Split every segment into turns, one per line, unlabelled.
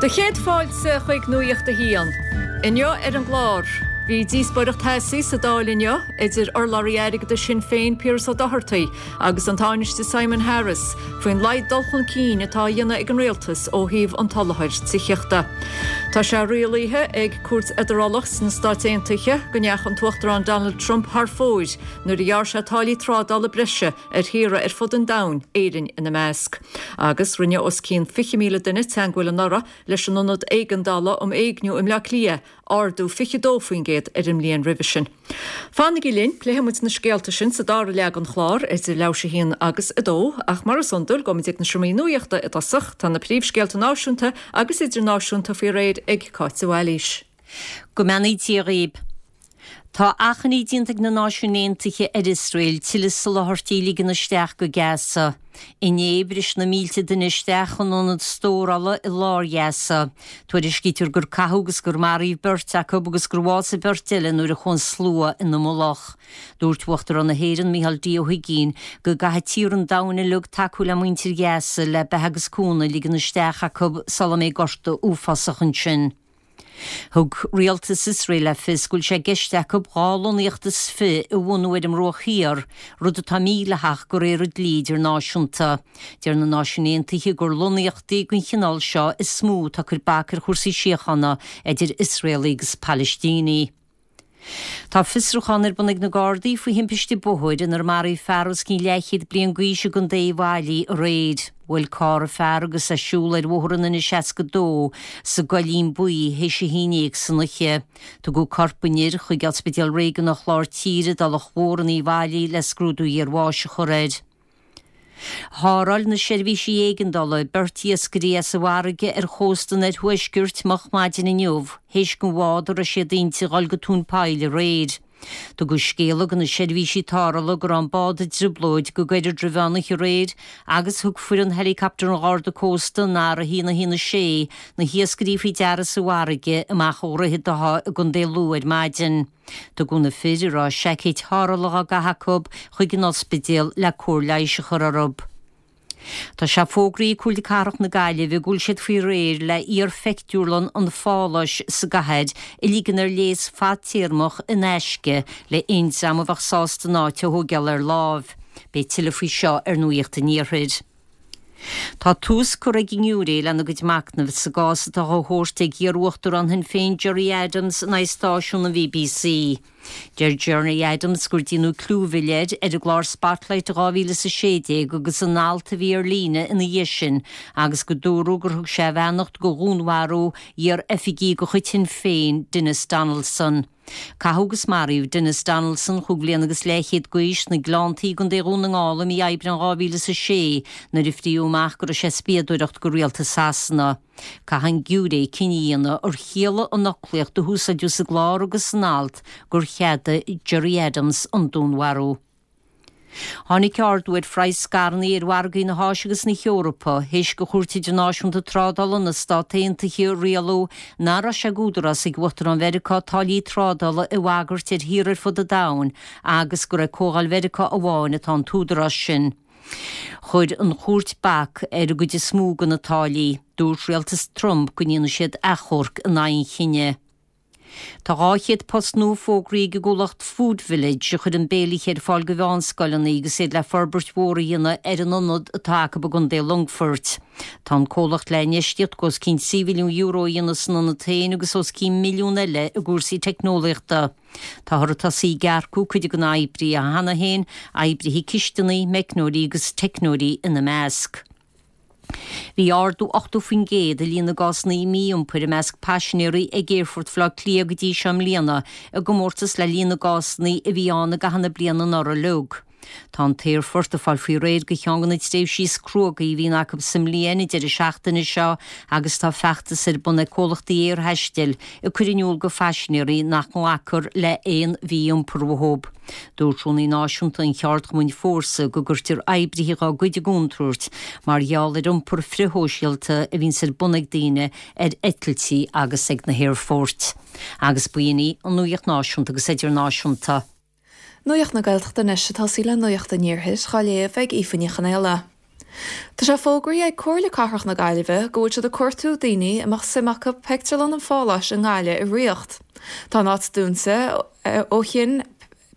Do chéad fáilte chuig Nuacht a hAon. Inniu ar an gclár, bhí díospóireacht theasaí sa Dáil inniu idir urlabhraí airgeadais Shinn Féin Piaras Ó Dochartaigh agus an Tánaiste Simon Harris faoin laghad dul chun cinn atá á dhéanamh ag an rialtas ó thaobh an tsoláthair tithíochta. Tá sé rialaithe ag Cúirt Fheidearálach sna Stáit Aontaithe go ndeachaigh an tUachtarán Donald Trump thar fóir nuair a ghearr sé táillí trádála breise ar thíortha ar fud an domhain, Éirinn ina measc. Agus rinne os cionn 20,000 duine teagmháil anuraidh leis an Ionad Éigeandála um Éigniú i mBleá Cliath, ardú 22% ar an mbliain roimhe sin. Fanaigí linn, pléifidh muid na scéalta sin sa dara leath den chlár, idir leathuair théis a haon agus a dó, ach mar is iondúil, gabhfaimid ag na seomraí nuachta i dtosach. Tá na príomhscéalta náisiúnta agus idirnáisiúnta faoi réir ag Cáit de Bhailís.
Go mbeannaí Dia dhaoib. Tá achainí déanta ag na Náisiúin Aontaithe ar Iosrael tuilleadh soláthairtí a ligean isteach go Gaza. Inné, bhris na mílte duine isteach chun ionad stórála i lár Ghaza. Tuairiscítear gur caitheadh agus gur maraíodh beirt acu agus gur bhásaigh beirt eile nuair a chuaigh an slua ina mullach. Dúirt Uachtarán na hÉireann, Micheál D. Ó hUigínn, go gcaithfidh tíortha an domhain uilig tacú le muintir Ghaza le beatha agus cúnamh a ligean isteach acu sula mbeidh gorta uafásach ansin. Thug rialtas Iosrael le fios go bhfuil sé i gceist acu 22 lonnaíocht a bhunú ar an mBruach Thiar, rud atá mídhleathach de réir an dlí idirnáisiúnta. Deir na Náisiúin Aontaithe gur lonnaíochtaí den chineál seo is mó atá ag cur bac ar chúrsaí síochána idir Iosraelaigh agus Palaistínigh. Tá fiosrúchán ar bun ag na Gardaí faoi thimpiste bóthair inar maraíodh fear os cionn leathchéad bliain d'aois i gContae Uíbh Fhailí aréir. Bhuail carr an fear agus é ag siúl ar Bhóthar an N62 sa gCoillín Buí théis a haon dhéag san oíche. Tugadh corp an fhir chuig Ospidéal Réigiúnach Lár Tíre i dTulach Mhór in Uíbh Fhailí le scrúdú iarbháis a chur air. Tharrtháil na seirbhísí éigeandála beirt iascairí as an bhfarraige ar chósta an oirthuaiscirt moch maidin inniu théis don bhád a raibh siad inti dhul go tóin poill aréir. Tugadh scéala do na seirbhísí tarrthála go raibh an bád i dtrioblóid go gairid roimh mheán oíche aréir agus thug foireann Helicopter an Gharda Cósta an R1 1 6 na hiascairí faoi deara sa bhfarraige amach ó Dhroichead Átha i gContae Lú ar maidin. Tugadh na fir, a raibh seaicéid tharrthála á gcaitheamh acu, chuig an ospidéal le cóir leighis a chur orthu. Tá sé fógraithe ag Comhairle Cathrach na Gaillimhe go bhfuil siad faoi réir le iar-phictiúrlann an Pháláis sa gcathair a ligean ar léas fadtéarmach in aisce le haon dream a bheadh sásta an áit a thóigeáil ar láimh. Beidh tuilleadh faoi seo ar Nuacht an Iarthair. Tá tús curtha ag an ngiúiré lena gcuid machnaimh sa gcás atá á thabhairt ag iar-uachtarán Shinn Féin Gerry Adams in aghaidh stáisiún an BBC. Deir Gerry Adams gur déanadh clúmhilleadh air ar an gclár Spotlight i 2016 agus in alt a bhí ar líne ina dhiaidh sin agus go dúradh gur thug sé a bheannacht do dhúnmharú iar-oifigigh de chuid Shinn Féin, Denis Donaldson. Caitheadh agus maraíodh Denis Donaldson, chúig bhliana agus leathchéad d'aois, sna Gleanntaí i gContae Dhún na nGall i mí Aibreáin 2006 nuair a fríodh amach go raibh sé ag spiadóireacht do rialtas Shasana. Caithfidh an giúiré cinneadh a dhéanamh ar chiallaigh an fhoclaíocht a húsáideadh sa gclár agus san alt gur cheadaigh Gerry Adams an dúnmharú. Tháinig ardú ar phraghas scaireanna ar mhargaí na hÁise agus na hEorpa théis do Chúirt Idirnáisiúnta Trádála na Stát Aontaithe rialú nach raibh sé d'údarás ag Uachtarán Mheiriceá táillí trádála a bhagairt ar thíortha ar fud an domhain agus gur ag Comhdháil Mheiriceá amháin atá an t-údarás sin. Chuir an chúirt bac ar an gcuid is mó de na táillí. Dúirt rialtas Trump go ndéanfaidh siad achomharc in aghaidh an chinnidh. Tá 200 post nua fógraithe ag an gcomhlacht Food Village a chuireann béilithe ar fáil do mheánscoileanna agus iad le forbairt mhór a dhéanamh ar an ionad atá acu i gContae Longfoirt. Tá an comhlacht le infheistíocht de os cionn €3 mhilliún a dhéanamh san ionad féin agus os cionn milliún eile i gcúrsaí teicneolaíochta. Táthar ag tosaí ag earcú cuid de na hoibrithe cheana féin, oibrithe cisteanaí, meicneoirí agus teicneoirí ina measc. Bhí ardú 80% i líon na gcásanna mí-iompair i measc paisinéirí ag Aerfort Bhaile Átha Cliath go dtí seo i mbliana, i gcomórtas le líon na gcásanna a bhí ann i gcaitheamh na bliana anuraidh uilig. Tá an t-aerfort ag fáil faoi réir do cheann de na tréimhsí is cruógaí a bhíonn acu sa mbliain, an deireadh seachtaine seo, agus tá feachtas ar bun ag comhlachtaí aerthaistil ag cur in iúl do phaisinéirí nach nglacfar le haon mhí-iompar uathu. Dúirt Rúnaí Náisiúnta an cheardchumainn Fórsa go gcuirtear oibrithe dá gcuid i gcontúirt mar gheall ar iompar frithshóisialta a bhíonns ar bun ag daoine ar eitiltí agus ag na haerfoirt. Agus b'in í an nuacht náisiúnta agus idirnáisiúnta.
Nuacht na Gaeltachta anois ag tosaí le Nuacht an Iarthair, á léamh ag Aoife Ní Chonaola. Tá sé fógraithe ag Comhairle Cathrach na Gaillimhe go bhfuil siad ag cuartú daoine a mbeadh suim acu Pictiúrlann an Pháláis i nGaillimh a ritheacht. Tá an áit dúnta ó chinn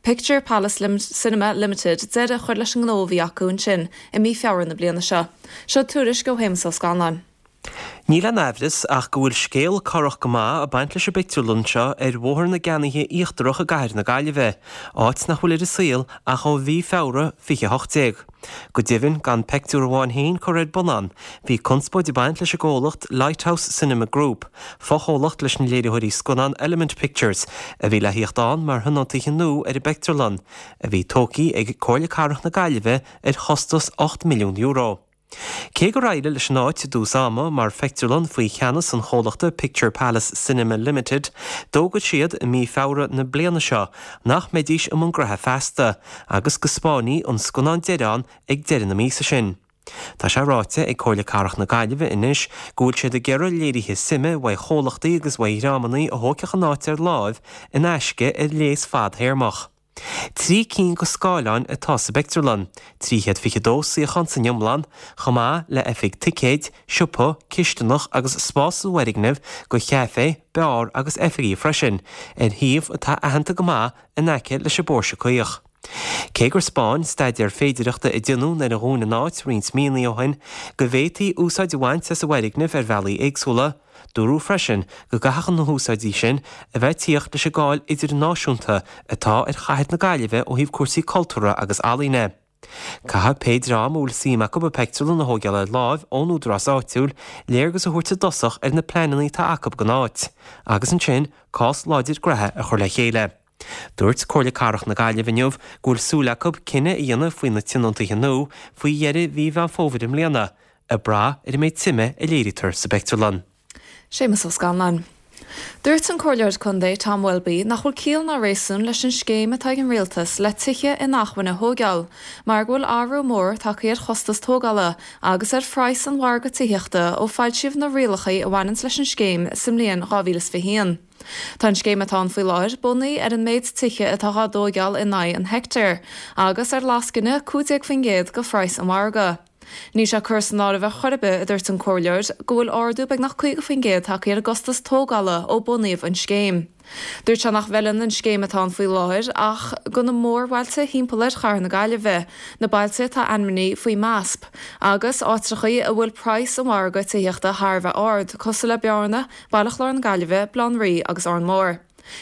Picture Palace Cinema Limited deireadh a chur leis an ngnó a bhí acu ansin i mí Feabhra na bliana seo. Seo tuairisc ó Shéamus Ó Scanláin.
Níl aon aimhreas ach go bhfuil scéal corrach go maith ag baint leis an bpictiúrlann seo ar Bhóthar na gCeannaithe Íochtarach i gcathair na Gaillimhe, áit nach bhfuil ar an saol ach ó mhí Feabhra 2018. Go deimhin, gan peictiúr amháin féin curtha ar bun ann, bhí conspóid ag baint leis an gcomhlacht Lighthouse Cinema Group, fochomhlacht leis na léiritheoirí scannán Element Pictures, a bhí le thíocht ann mar thionóntaithe nua ar an bpeictiúrlann, a bhí tógtha ag Comhairle Cathrach na Gaillimhe ar chostas €8 milliún. Cé gur éirigh leis an áit i dtús ama mar phictiúrlann faoi cheannas an chomhlachta Picture Palace Cinema Limited, d'fhógair siad i mí Feabhra na bliana seo nach mbeidís i mbun graithe feasta agus go spáinfí an scannán deiridh ann ag deireadh na míosa sin. Tá sé ráite ag Comhairle Cathrach na Gaillimhe anois go bhfuil siad ag iarraidh léirithe suime uaidh chomhlachtaí agus uaidh dhreamanna a thógfadh an áit ar láimh in aisce ar léas fadthéarmach. 3 cinn de scáileáin atá sa bpictiúrlann, 322 suíochán san iomlán, chomh maith le oifig ticéid, siopa, cisteanach agus spás sa bhfoirgneamh do chaifé, beár agus oifigí freisin, ar shuíomh atá aitheanta go maith in aice leis an bPóirse Caoch. Cé gur 'spáin staidéar féidireachta a déanadh nuair a dhún an áit roinnt míonna ó shin go bhféadfaí úsáid a bhaint as an bhfoirgneamh ar bhealaí éagsúla, Dúradh freisin go gcaithfeadh na húsáidí sin a bheith ag tíocht leis an gcáil idirnáisiúnta atá ar chathair na Gaillimhe ó thaobh cúrsaí cultúrtha agus ealaíne. Caithfidh pé dream a bhfuil suim acu an pictiúrlann a thóigeáil ar láimh ón údarás áitiúil léargas a thabhairt i dtosach ar na pleananna atá acu don áit, agus ansin cás láidir graithe a chur le chéile. Dúirt Comhairle Cathrach na Gaillimhe inniu go bhfuil súil acu cinneadh a dhéanamh faoi na tionóntaithe nua faoi dheireadh mhí Mheán Fómhair i mbliana, ag brath ar an méid suime a léirítear sa bpictiúrlann.
Séamus Ó Scanláin. Dúirt an Comhairleoir Contae Tom Welby nach bhfuil ciall ná réasún leis an scéim atá ag an Rialtas le tithe inacmhainne a thóigeáil mar go bhfuil athrú mór tagtha ar chostas tógála agus ar phraghas an mhargaidh tithíochta ó foilsíodh na rialacha a bhaineanns leis an scéim sa mbliain 2021. Tá an scéim atá ann faoi láthair bunaithe ar an méid tithe atá dhá dtóigeáil in aghaidh an heicteáir, agus ar lascaine 15% de phraghas an mhargaidh. Níl sé curtha san áireamh ar chor ar bith, a dúirt an comhairleoir, go bhfuil ardú beagnach 50% tagtha ar an gcostas tógála ó bunaíodh an scéim. Dúirt sé nach bhfeileann an scéim atá ann faoi láthair ach do na mórbhailte thimpeall ar chathair na Gaillimhe, na bailte atá ainmnithe faoi MASP, agus áitreachaí a bhfuil praghas an mhargaidh tithíochta thar a bheith ard, cosúil le Bearna, Baile Chláir na Gaillimhe, Baile Átha an Rí agus Órán Mór.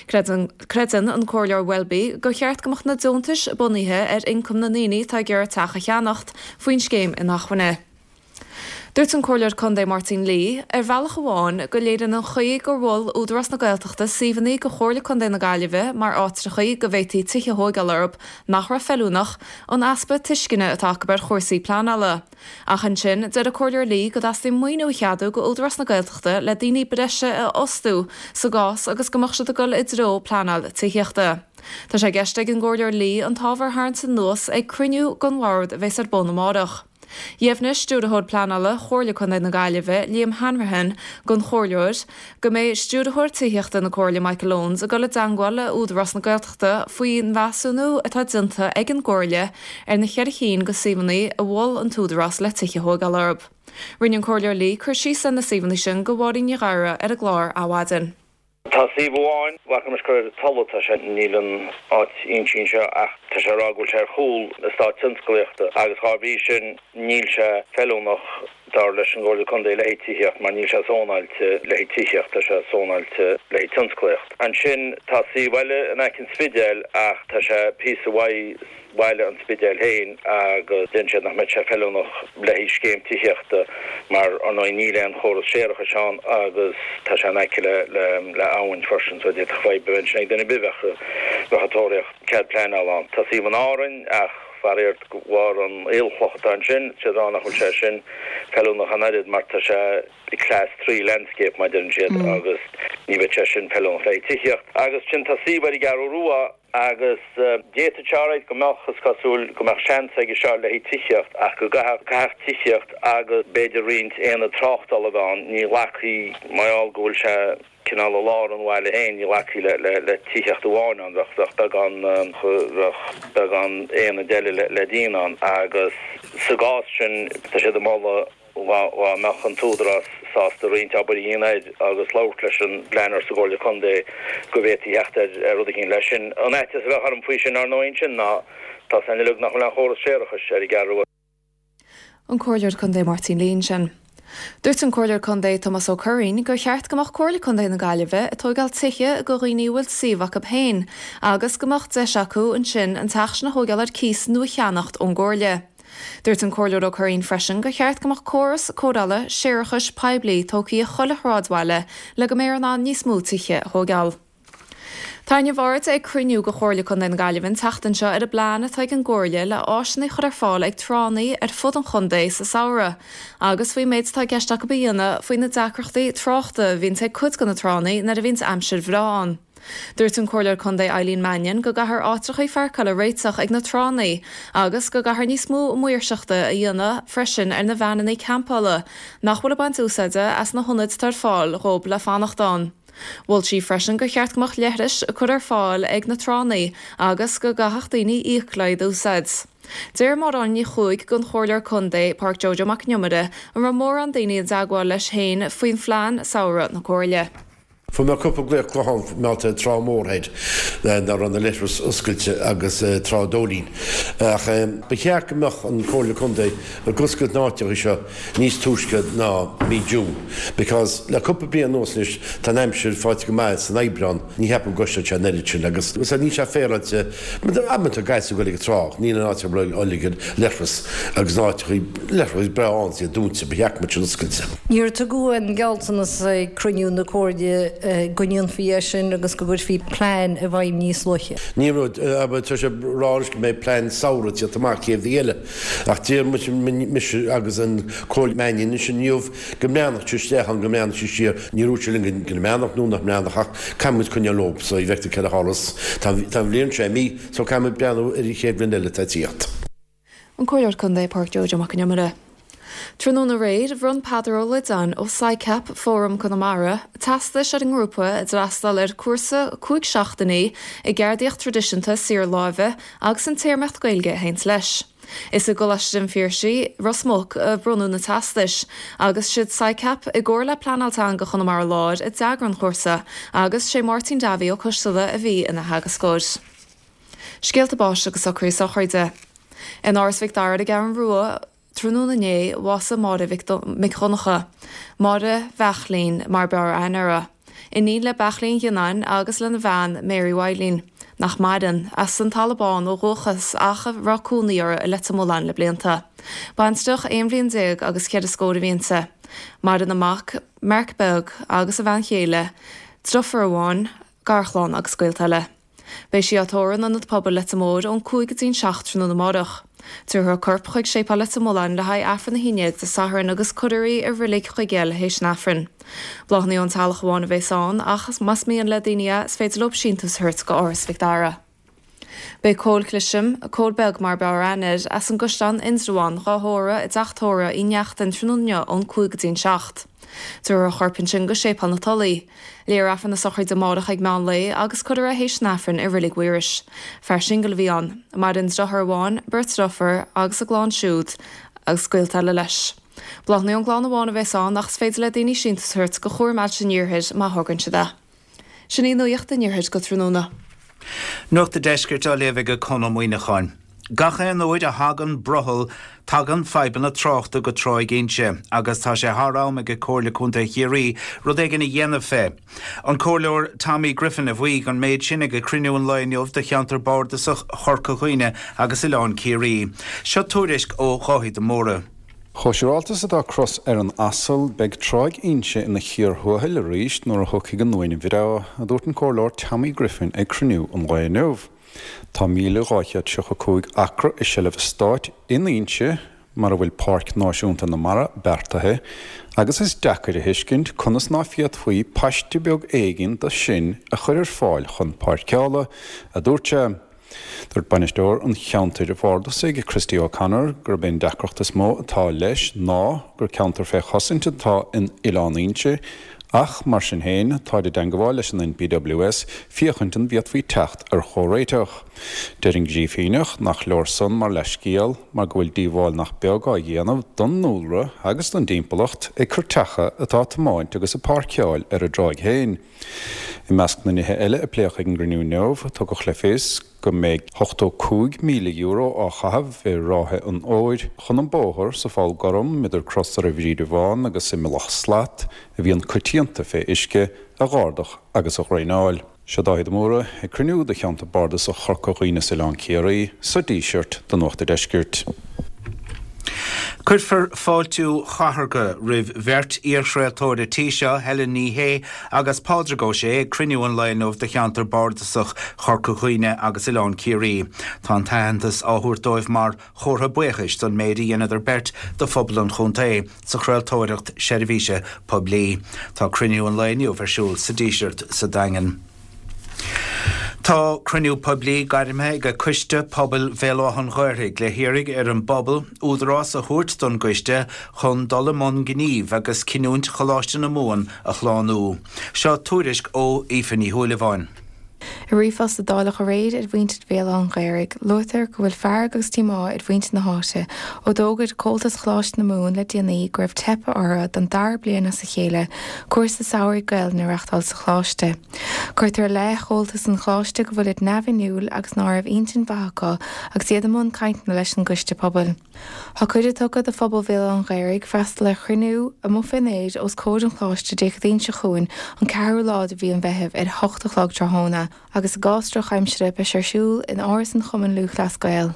Creideann an Comhairleoir Welby gur cheart go mbeadh na deontais bunaithe ar ioncam na ndaoine atá ag iarraidh teach a cheannacht faoin scéim inacmhainne. Dúirt an Comhairleoir Contae Máirtín Lee, ar bhealach amháin, go léiríonn an chaoi gur mhol Údarás na Gaeltachta suíomhanna go Chomhairle Contae na Gaillimhe mar áitreachaí go bhféadfaí tithe a thóigeáil orthu nach raibh feiliúnach, an easpa tuisceana atá acu ar chúrsaí pleanála. Ach ansin, deir an Comhairleoir Lee go dteastaíonn maoiniú a cheadú go Údarás na Gaeltachta le daoine breise a fhostú sa gcás agus go mbeadh siad ag dul i dtreo pleanáil tithíochta. Tá sé i gceist ag an gComhairleoir Lee an t-ábhar a tharraingt anuas ag cruinniú den bhord a bheas ar bun amárach. Dheimhnigh Stiúrthóir Pleanála Chomhairle Contae na Gaillimhe, Liam Hanrahan, don Chomhairleoir go mbeidh Stiúrthóir Tithíochta na Comhairle Michael Owens ag dul i dteangmháil le Údarás na Gaeltachta faoin mheasúnú atá déanta ag an gComhairle ar na cheithre chinn de suíomhanna a mhol an tÚdarás le tithe a thóigeáil orthu. Rinne an Comhairleoir Lee cur síos ar na suíomhanna sin do Mháirín Ní Ghadhra ar an gclár Adhmhaidin.
Tá suíomh amháin, bhfaca mise gur ar Tulla atá sé, níl an áit inti anseo ach tá sé ag rá go bhfuil sé ar chúl eastát tionsclaíochta agus dhá bhrí sin níl sé feiliúnach dar leis an gComhairle Contae le haghaidh tithíocht mar níl sé zónáilte le haghaidh tithíocht, tá sé zónáilte le haghaidh tionsclaíocht. Ansin tá suíomh eile in aice an Spidéil ach tá sé píosa uaidh bhaile an Spidéil féin agus deireann siad nach mbeadh sé feiliúnach le haghaidh scéim tithíochta mar ar ndóigh níl aon chóras séarachais ann agus tá sé in aice le le abhainn freisin so d'fhéadfadh fadhb a bheith ansin ag duine ar bith bheadh bheadh ag tóraíocht cead pleanála ann. Tá suíomh in Árainn ach faraor de bharr an aolchloch atá ansin, tá siad ag rá nach bhfuil sé sin feiliúnach an oiread mar tá sé class 3 landscape mar deireann siad agus ní bheadh sé sin feiliúnach le haghaidh tithíocht. Agus ansin tá suíomh ar an gCeathrú Rua Agus d'fhéadfadh sé alright go mbeadh, is cosúil, go mbeadh seans aige seo le haghaidh tithíocht ach go gcaithfeadh, caithfeadh tithíocht agus b'fhéidir roinnt aonad tráchtála a bheith ann. Ní ghlacfaí, mar gheall go bhfuil sé. cineál i lár an bhaile féin, ní ghlacfaí le tithíocht amháin ann, bheadh beagán, bheadh beagán aonaid eile le déanamh ann agus sa gcás sin tá siad ag moladh dhá mbeadh an t-údarás sásta roinnt obair a dhéanamh air agus labhairt leis an bpleanáir sa gComhairle Contae go bhféadfaí theacht ar rud eicínt leis sin. An fhaitíos a bheadh orm faoi sin ar ndóigh ansin ná tá 's againn uilig nach bhfuil aon chóras séarachais ar an gCeathrú Rua.
An Comhairleoir Contae Máirtín Lee ansin. Dúirt an Comhairleoir Contae Tomás Ó Curraoin gur cheart go mbeadh Comhairle Contae na Gaillimhe ag tóigeáil tithe go dhaoine a bhfuil suíomh acu féin agus go mbeadh deis acu ansin an teach sin a thóigeáil ar cíos nó a cheannacht ón gComhairle. Dúirt an Comhairleoir Ó Curraoin freisin gur cheart go mbeadh córas cóireála séarachais poiblí tógtha i chuile shráidbhaile le go mbeifear in ann níos mó tithe a thóigeáil. Tarraingíodh aird ag cruinniú de Chomhairle Contae na Gaillimhe an tseachtain seo ar an bplean atá ag an gComhairle le áiseanna a chur ar fáil ag tránna ar fud an chontae sa samhradh agus faoin méid atá i gceist acu a dhéanamh faoi na deacrachtaí tráchta a bhíonns ag cuid de na tránna nuair a bhíonns aimsir bhreá ann. Dúirt an Comhairleoir Contae Eileen Mannion go gcaithfear áitreachaí pháirceála a réiteach ag na tránna agus go gcaithfear níos mó maoirseachta a dhéanamh freisin ar na veaineanna campála nach bhfuil ag baint úsáide as na hionaid atá ar fáil dhóib le fanacht ann. Mhol sí freisin gur cheart go mbeadh leithris curtha ar fáil ag na tránna agus go gcaithfeadh daoine íoc le iad a úsáid. D'iarr Máire Ní Chuaig den Chomhairleoir Contae, Pádraic Joe Joe Mac an Iomaire, an raibh mórán daoine i dteagmháil leis féin faoi phlean samhraidh na Comhairle.
Fuair mé cúpla glaoch gutháin maidir le Trá Mhór thoir nach raibh na leithris oscailte agus Trá Dóilín. Ach ba cheart go mbeadh an Comhairle Contae ag oscailt na áiteacha seo níos túisce ná mí June because le cúpla bliain anuas anois tá an aimsir faighte go maith san Aibreán, ní cheapaim go gcosnóidh sé an oiread sin agus níl sé féaráilte amanta guys ag dul ag an trá níl an áit ar uilig an leithreas agus na áiteachaí leithreas breá ann is iad dúnta, ba cheart go mbeadh siad oscailte.
Níor tugadh aon ghealltanas ag cruinniú na Comhairle go ndéanfaí é sin agus go gcuirfí plean i bhfeidhm níos luaithe.
Ní raibh, tá sé ag rá anois go mbeidh plean samhraidh ag tíocht amach chéad mhí eile. Ach deir mise agus an Comhairleoir Mannion anois inniu go mbreathnódh sé isteach ann, go mbreathnódh sé siar. Níor dhúirt sé linn go mbreathnódh nó nach mbreathnódh ach caithfidh muid coinneáil leo so ní fheictear céard a tharlós. Tá an bhliain seo imithe so caithfidh muid breathnú ar an chéad bhliain eile atá ag tíocht.
An Comhairleoir Contae Pádraic Joe Joe Mac an Iomaire. Tráthnóna aréir, bhronn Peadar Ó Loideáin ó SICAP, Fóram Conamara, teastais ar an ngrúpa a d'fhreastail ar cúrsa 5 seachtainí i gceardaíocht traidisiúnta saothar láimhe agus an téarmaíocht Gaeilge a théanns leis. Is i gColáiste an Phiarsaigh, Ros Muc, a bronnadh na teastais, agus siad SICAP, i gcomhar le Pleanáil Teanga Chonamara Láir a d'eagraigh an chúrsa, agus sé Máirtín Davy Ó Coisteala a bhí ina theagascóir. Scéalta báis agus socruithe sochraide. In Áras Mhic Dara ar an gCeathrú Rua, Tráthnóna inné, bhásaigh Máire Mhic Dhonncha, Máire Bheachlín mar b'fhearr aithne uirthi, iníon le Beachlín Ghionnáin agus lena bhean Mary Mhaidhlín, nach maireann, as an Talamh Bán ó dhúchas ach a raibh cónaí orthu i Leitir Mealláin le blianta. Baintreach aon bhliain déag agus cheithre scór a bhí inti. Maireann a mac, Marc Beag, agus a bhean chéile, driofúr amháin, garchlann agus gaolta eile. Beidh sí á tórramh in Ionad Pobail Leitir Móir ón 5 go dtí'n 7 tráthnóna amárach. Tabharfar a corp chuig Séipéal Leitir Mealláin le haghaidh Aifreann 11 Dé Sathairn agus cuirfear í i Reilig Chuigéil théis an Aifrinn. Bláthanna ón teaghlach amháin a bhéas ann ach más mian le daoine é is féidir leo síntiús a thabhairt go Áras Mhic Dara. Beidh Cóil Clisham, Cóil Beag mar b'fhearr aithne air, as an gCaisleán Indreabhán, dhá thórramh i dteach tórraimh Uí Neachtain tráthnóna inniu ón 5 go dtí'n 7. Tabharfar a chorp ansin go Séipéal na Tulaí. Léifear Aifreann na sochraide amárach ag meán lae agus cuirfear é théis an Aifrinn i Reilig Mhaorais. Fear singil a bhí ann. Maireann deartháir amháin, beirt deirfiúr agus a gclann siúd agus gaolta eile leis. Bláthanna ón gclann amháin a bheas ann ach is féidir le daoine síntiús a thabhairt go Chúram Ailse an Iarthair má thograíonn siad é. Sin í nuacht an Iarthair go tráthnóna.
Nuacht an Deiscirt á léamh ag Conn Ó Muíneacháin. Gach aon uair a thagann brothall, tagann fadhbanna tráchta go Tráigh Inse agus tá sé thar am ag Comhairle Contae Chiarraí rud éigin a dhéanamh fé. An Comhairleoir Tommy Griffin a mhaígh an méid sin ag cruinniú an lae inniu de cheantar bardasach Chorca Dhuibhne agus Oileán Ciarraí. Seo tuairisc ó Dháithí de Mórdha.
Chomh siúráilte is atá cros ar an asal, beidh Tráigh Inse ina chíor thuathail arís nuair a thiocfaidh an uain bhreá, a dúirt an Comhairleoir Tommy Griffin ag cruinniú an lae inniu. Tá 1,275 acra i seilbh an Stáit in Inse, mar a bhfuil Páirc Náisiúnta na Mara beartaithe, agus is deacair a thuiscint conas ná féadfaí paiste beag éigin de sin a chur ar fáil chun páirceála, a dúirt sé. Dúirt bainisteoir an cheantair bhardasaigh, Christy O'Connor, gurb é an deacracht is mó atá leis ná gur ceantar fé chosaint atá in Oileán Inse. Ach, mar sin féin, táid i dteangabháil leis an NPWS féachaint an bhféadfaí teacht ar chomhréiteach. Deir an Grífíneach nach leor san mar leithscéal mar go bhfuil díobháil nach beag á dhéanamh don ndúlra agus don dtimpeallacht ag cairteacha atá ag tiomáint agus ag páirceáil ar an dtráigh féin. I measc na nithe eile a pléadh ag an gcruinniú inniu, tugadh le fios go mbeidh €85,000 á chaitheamh i ráithe an fhómhair chun an bóthar sa Pholl Gorm idir Crosaire Bhríde Bhán agus i Mullach Slat, a bhíonn coitianta fé uisce, a dh'ardach agus a dhraenáil. Seo Dáithí de Mórdha ag cruinniú de Cheantar Bardasach Chorca Dhuibhne is Oileán Ciarraí sa Díseart do Nuacht a' Deiscirt.
Cuirfear fáiltiú chathartha roimh bheirt iarchraoltóir an tí seo, Helen Ní Shé agus Pádraig Ó Sé ag cruinniú an lae inniu de Cheantar Bardasach Chorca Dhuibhne agus Oileán Ciarraí. Tá an t-aitheantas á thabhairt dóibh mar chomhartha buíochais don méid a dheineadar beirt do phobal an chontae sa chraoltóireacht seirbhíse poiblí. Tá cruinniú an lae inniu ar siúl sa Díseart sa Daingean. Tá cruinniú poiblí gairmthe ag Coiste Pobail Bhéal Átha an Ghaorthaidh le hiarraidh ar an bpobal údarás a thabhairt don gcoiste chun dul i mbun gnímh agus cinniúint Choláiste na Mumhan a shlánú. Seo tuairisc ó Aoife Ní Shúilleabháin.
I ríomhphost a dáileadh aréir ar mhuintir Bhéal Átha an Ghaorthaidh, luaitear go bhfuil fearg agus díomá ar mhuintir na háite ó d'fhógair Comhaltas Choláiste na Mumhan le déanaí go raibh teipthe orthu don dara bliain as a chéile cúrsa samhraidh Gaelainne a reachtáil sa choláiste. Cuirtear i leith Chomhaltas an Choláiste go bhfuilid neamhinniúil agus ná raibh intinn mhaith acu agus iad i mbun cainteanna leis an gcoiste pobail. Tá cuireadh tugtha do phobal Bhéal Átha an Ghaorthaidh freastal ar chruinniú amuigh fén aer os comhair an Choláiste Dé Céadaoin seo chugainn an ceathrú lá de mhí an Mheithimh ar 8 a chlog tráthnóna agus i gcás drochaimsire beidh sé ar siúl in Áras an Chumainn Lúthchleas Gael.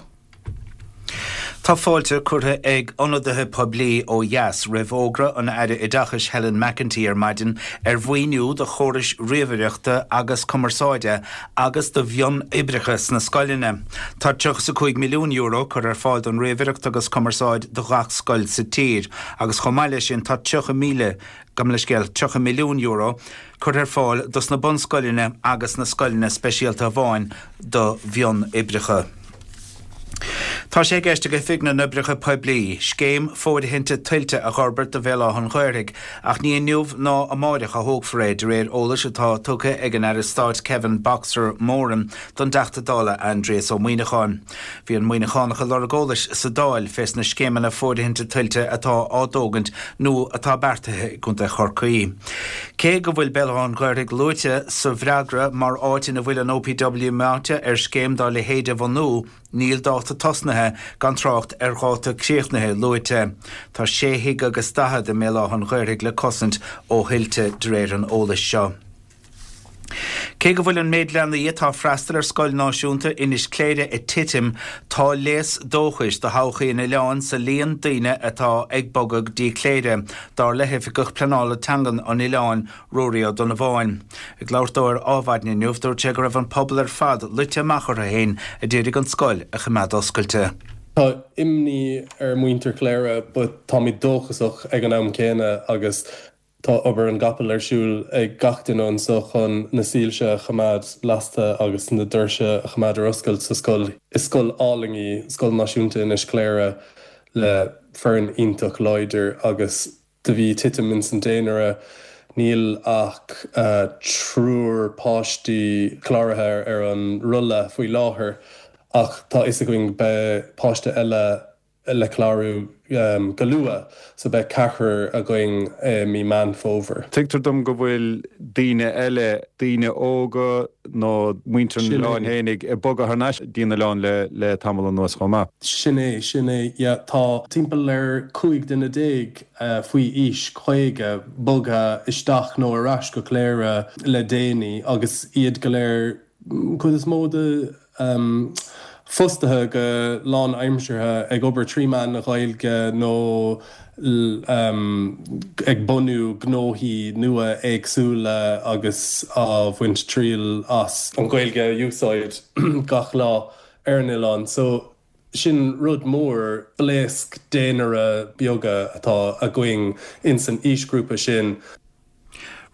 Tá fáilte curtha ag ionadaithe poiblí ó dheas roimh fhógra an Aire Oideachais Helen McEntee ar maidin ar mhaoiniú do chórais ríomhaireachta agus cumarsáide agus do mhionoibreacha sna scoileanna. Tá €35 milliún curtha ar fáil don ríomhaireacht agus cumarsáid do ghach scoil sa tír agus chomh maith leis sin tá 30,000, gabh mo leithscéal, €30 milliún curtha ar fáil dos na bunscoileanna agus na scoileanna speisialta amháin do mhionoibreacha. Tá sé i gceist ag Oifig na nOibreacha Poiblí scéim fóirithinte tuilte a dh'fhorbairt do Bhéal Átha an Ghaorthaidh ach ní inniu ná amáireach a thógfar é, de réir eolais atá tugtha ag an Aire Stáit Kevin 'Boxer' Moran don dTeachta Dála Aindrias Ó Muíneacháin. Bhí an Muíneachánach ag lorg eolais sa Dáil fés na scéimeanna fóirithinte tuilte atá á dtógaint nó atá beartaithe i gContae Chorcaí. Cé go bhfuil Béal Átha an Ghaorthaidh luaite sa bhfreagra mar áit ina bhfuil an OPW meáite ar scéim dá leithéid a bhunú, níl dáta tosnaithe, gan trácht ar dháta críochnaithe, luaite. Tá sé thigh agus daichead i mBéal Átha an Ghaorthaidh le cosaint ó thuilte, de réir an eolais seo. Cé go bhfuil an méid leanaí atá ag freastal ar Scoil Náisiúnta Inis Cléire ag titim, tá léas dóchais do thodhchaí an oileáin sa líon daoine atá ag bogadh go dtí Cléire, dar le hOifigeach Pleanála Teangan an oileáin, Ruairí Ó Donnabháin. Ag labhairt dó ar Ádhmhaidin inniu, dúirt sé go raibh an pobal ar fad luite amach orthu féin a d'iarraidh an scoil a choimeád oscailte.
Tá imní ar mhuintir Chléire but táimid dóchasach ag an am céanna agus Tá obair an gcapall ar siúl ag gach duine anso chun na soilse a choimeád lasta agus na doirse a choimeád ar oscailt sa scoil. Is scoil álainn í Scoil Náisiúnta Inis Cléire le foireann iontach láidir agus do bhí titim ins an daonra, níl ach triúr páistí cláraithe ar an rolla faoi láthair ach tá fhios againn beidh páiste eile le clárú go luath, so beidh ceathrar againn i mí Meán Fómhair.
Tuigtear dom go bhfuil daoine eile, daoine óga nó muintir an oileáin fhéinig, ag bogadh thar n-ais dtí an oileán le tamall anuas chomh maith.
Sin é, sin é, yeah. Tá timpeall ar 15 duine faoi aois 50 bogtha isteach nó ar ais go Cléire le déanaí agus iad go léir, cuid is mó de fostaithe go lánaimseartha ag obair trí mheán na Gaeilge nó ag bunú gnóthaí nua éagsúla agus á bhaint triail as an Ghaeilge a úsáid gach lá ar an oileán. So sin rud mór, blaosc daonra beaga atá againn ins an aoisghrúpa sin.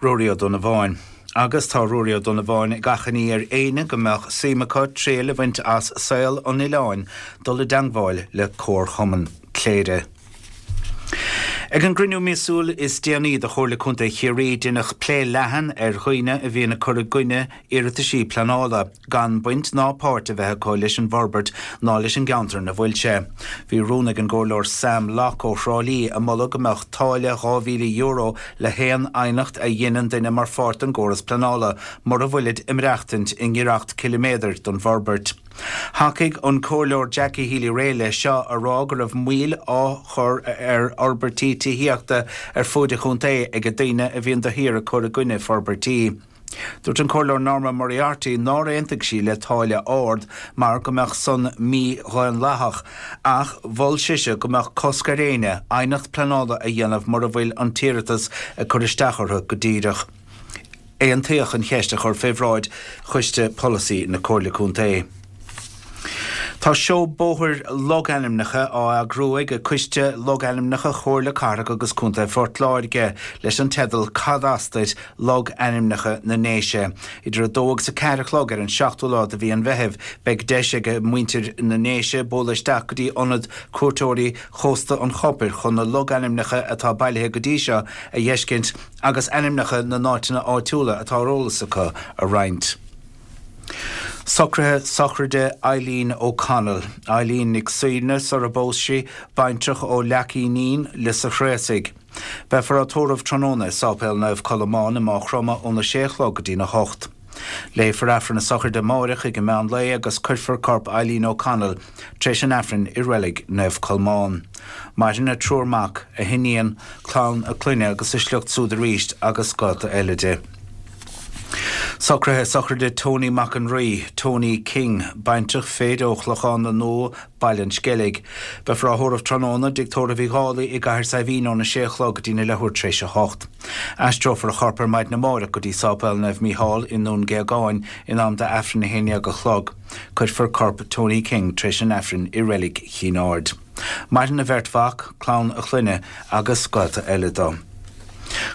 Ruairí Ó Donnabháin. Agus tá Ruairí Ó Donnabháin ag achainí ar éinne go mbeadh suim acu triail a bhaint as saol an oileáin dul i dteangmháil le Comharchumann Chléire. Ag an gcruinniú míosúil is déanaí de Chomhairle Contae Chiarraí deineadh plé leathan ar dhaoine a bhíonn ag cur i gcoinne iarrataisí pleanála, gan baint ná páirt a bheith acu leis an bhforbairt ná leis an gceantar ina bhfuil sé. Bhí rún ag an gComhairleoir Sam Locke ó Thrá Lí a moladh go mbeadh táille €2,000 le haon aighneacht a dheineann duine mar pháirt den gcóras pleanála mura bhfuilid ag maireachtaint i ngiorracht ciliméadair don bhforbairt. Thacaigh an Comhairleoir Jackie Healy-Rae leis seo, a rá go raibh moill á chur ar fhorbairtí tithíochta ar fuaid an chontae ag daoine a bhíonn de shíor ag cur i gcoinne forbairtí. Dúirt an Comhairleoir Norma Moriarty nár aontaigh sí le táille ard mar go mbeadh san mídhaonlathach ach mhol sise go mbeadh cosc ar éinne aighneacht pleanála a dhéanamh mura bhfuil an t-iarratas ag cur isteach orthu go díreach. Aontaíodh an cheist a chur fé bhráid Choiste Polasaí na Comhairle Contae. Tá seó bóthair logainmneacha á eagrú ag Coiste Logainmneacha Chomhairle Cathrach agus Contae Phort Láirge leis an teideal Cad As Duit, Logainmneacha na nDéise. Idir 2 agus 4 a chlog ar an seachtú lá de mhí an Mheithimh beidh deis ag muintir na nDéise bualadh isteach go dtí Ionad Cuairteoirí Chósta an Chopair chun na logainmneacha atá bailithe go dtí seo a dh'fheiscint agus ainmneacha na n-áiteanna áitiúla atá ar eolas acu a roinnt. Socruithe sochraide Eileen O'Connell, Eileen Nic Suibhne sara bpós sí, baintreach ó Leac Fhínín, Lios a' Chraosaigh. Beifear á tórramh tráthnóna i Sáipéal Naomh Colmán i Máigh Chromtha óna sé a chlog go dtína hocht. Léifear Aifreann na sochraide amáireach ag an meán lae agus cuirfear corp Eileen O'Connell tar éis an Aifrinn i Reilig Naomh Colmán. Maireann a triúr mac, a hiníon, clann a clainne agus a sliocht súd arís agus gaolta eile di. Socruithe sochraide Tony Mac an Rí, Tony King, baintreach fir ó Chlochán na Nua, Baile an Sceilg. Beifear á thórramh tráthnóna i dTigh Tórraimh Uí Dhálaigh i gCathair Saidhbhín óna sé a chlog go dtína leathuair tar éis a hocht. Aistreofar a chorp ar maidin amárach go dtí Sáipéal Naomh Mícheál i nDún Géagáin in am d'Aifreann a 11 a chlog. Cuirfear corp Tony King tar éis an Aifrinn i Reilig Chinn Aird. Maireann a bheirt mhac, clann a clainne agus gaolta eile dó.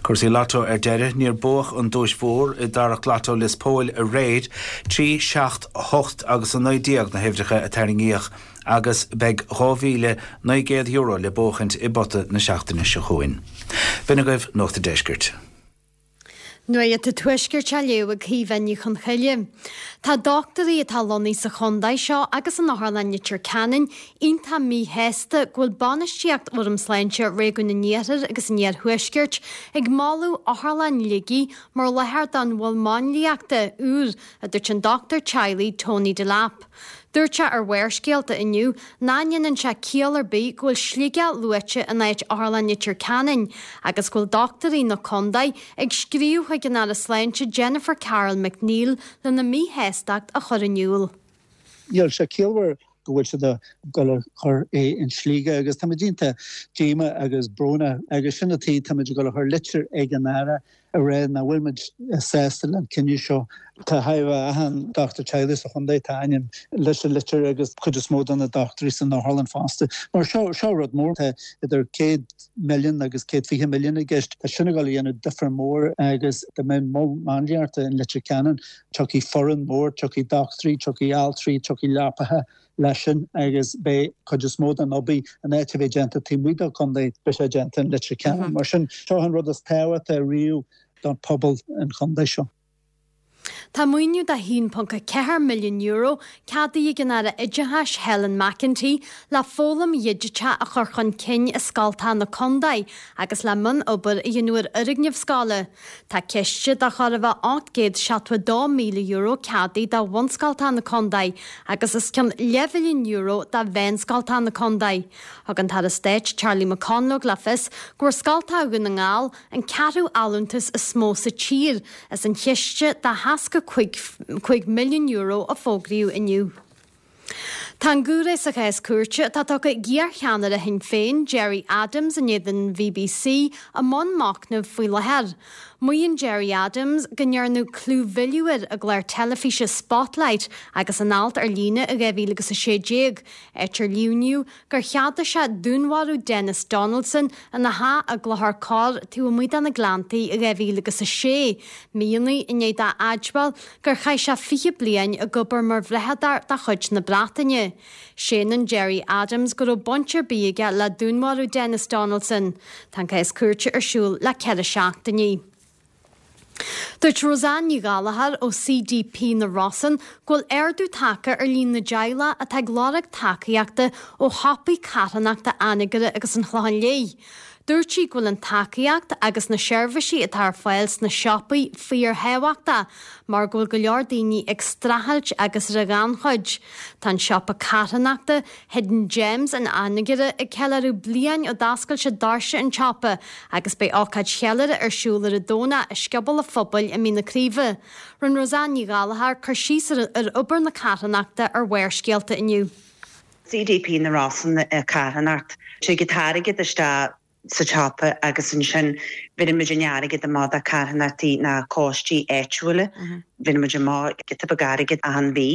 Cúrsaí Lotto ar deireadh, níor buadh an duais mhór i dtarrac Lotto Lios Póil aréir, 3, 7, 8 agus 19 na huimhreacha a tarraingíodh agus beidh €2,900 le buachaint i bpota na seachtaine seo chugainn. B'in agaibh Nuacht an Deiscirt.
Nuacht an Tuaiscirt á léamh ag Caoimhe Ní Chonchoille. Tá dochtúirí atá lonnaithe sa chontae seo agus in Otharlann Leitir Ceanainn iontach míshásta go bhfuil bainistíocht Fhóram Sláinte Réigiún an Iarthair agus an Iarthuaiscirt ag moladh Otharlann Shligigh mar láthair don mhol máinliachta úr, a dúirt an dochtúir teaghlaigh Tony Delap. Dúirt sé ar Bharrscéalta inniu nach ndéanann sé ciall ar bith go bhfuil Sligeach luaite in áit Otharlann Leitir Ceanainn agus go bhfuil dochtúirí na contae ag scríobh chuig an Aire Sláinte Jennifer Carroll MacNeill lena míshástacht a chur in iúl.
Níl sé ciallmhar go bhfuil siad ag dul a chur é in Sligeach agus táimid iontach díomách agus brónach agus sin an tuige táimid ag dul a chur litir ag an Aire a rá nach bhfuil muid sásta le an cinneadh seo. Tá chóir a bheith achan dochtúir teaghlaigh sa chontae, tá a ainm leis an litir agus cuid is mó de na dochtúirí san otharlann fosta. Mar seo, seo rud mór, tá idir 100 milliún agus 120 milliún i gceist. Tá sin ag dul a dhéanamh difear mór agus dá mbeadh mol máinliachta in Leitir Ceanainn, tiocfaidh foireann mór, tiocfaidh dochtúirí, tiocfaidh altraí, tiocfaidh leapacha, leis sin agus beidh cuid is mó den obair in áit a bheith déanta taobh amuigh den chontae, beidh sé déanta in Leitir Ceanainn. Mar sin, seo an rud is tábhachtaí riamh don phobal an chontae seo.
Tá maoiniú de €1.4 milliún ceadaithe ag an Aire Oideachais Helen McEntee le foghlaim dhigiteach a chur chun cinn i scoltacha na contae agus le mionobair a dhéanamh ar fhoirgnimh scoile. Tá ciste de chóir a bheith €872,000 ceadaithe do bhunscoltacha na contae agus os cionn leathmhilliún euro do mheánscoltacha na contae. Thug an tAire Stáit Charlie McConalogue le fios go bhfuair scoltacha Dhún na nGall an ceathrú allúntas is mó sa tír as an chiste de €65 milliún a fógraíodh inniu. Tá an giúiré sa chás cúirte atá tugtha ag iarcheannaire Shinn Féin, Gerry Adams in éadan an BBC i mbun machnaimh faoi láthair. Maíonn Gerry Adams go ndearnadh clúmhilleadh air i gclár teilifíse Spotlight agus in alt ar líne i 2016, áit ar líomhnaíodh gur cheadaigh sé dúnmharú Denis Donaldson ina theach i gClochar Corr taobh amuigh de na Gleanntaí i 2006, míonna i ndiaidh dó a admháil gur chaith sé 20 bliain ag obair mar bhrathadóir de chuid na Breataine. Séanann Gerry Adams go raibh baint ar bith aige le dúnmharú Denis Donaldson. Tá an cás cúirte ar siúl le 4 seachtainí. Dúirt Roseanne Ní Ghallchóir ó CDP na Rosann go bhfuil ardú tagtha ar líon na dteaghlach atá ag lorg tacaíochta ó shiopaí carthanachta Anagaire agus an Chlocháin Léith. Dúirt sí go bhfuil an tacaíocht agus na seirbhísí atá ar fáil sna siopaí fíorthábhachtach mar go bhfuil go leor daoine ag streachailt agus ar an ghannchuid. Tá an siopa carthanachta, Hidden Gems in Anagaire ag ceiliúradh bliain ó d'oscail siad doirse an tsiopa agus beidh ócáid cheiliúrtha ar siúl ar an Domhnach i Scioból an Phobail i Mín na Craoibhe. Rinne Roseanne Ní Ghallchóir cur síos ar obair na carthanachta ar Bharrscéalta inniu.
CDP na Rosann carthanacht. Tig an t-airgead isteach sa tsiopa agus ansin bheireann muid an airgead amach do carthanachtaí ná coistí áitiúla. Bheireann muid amach giota beag airgead achan mhí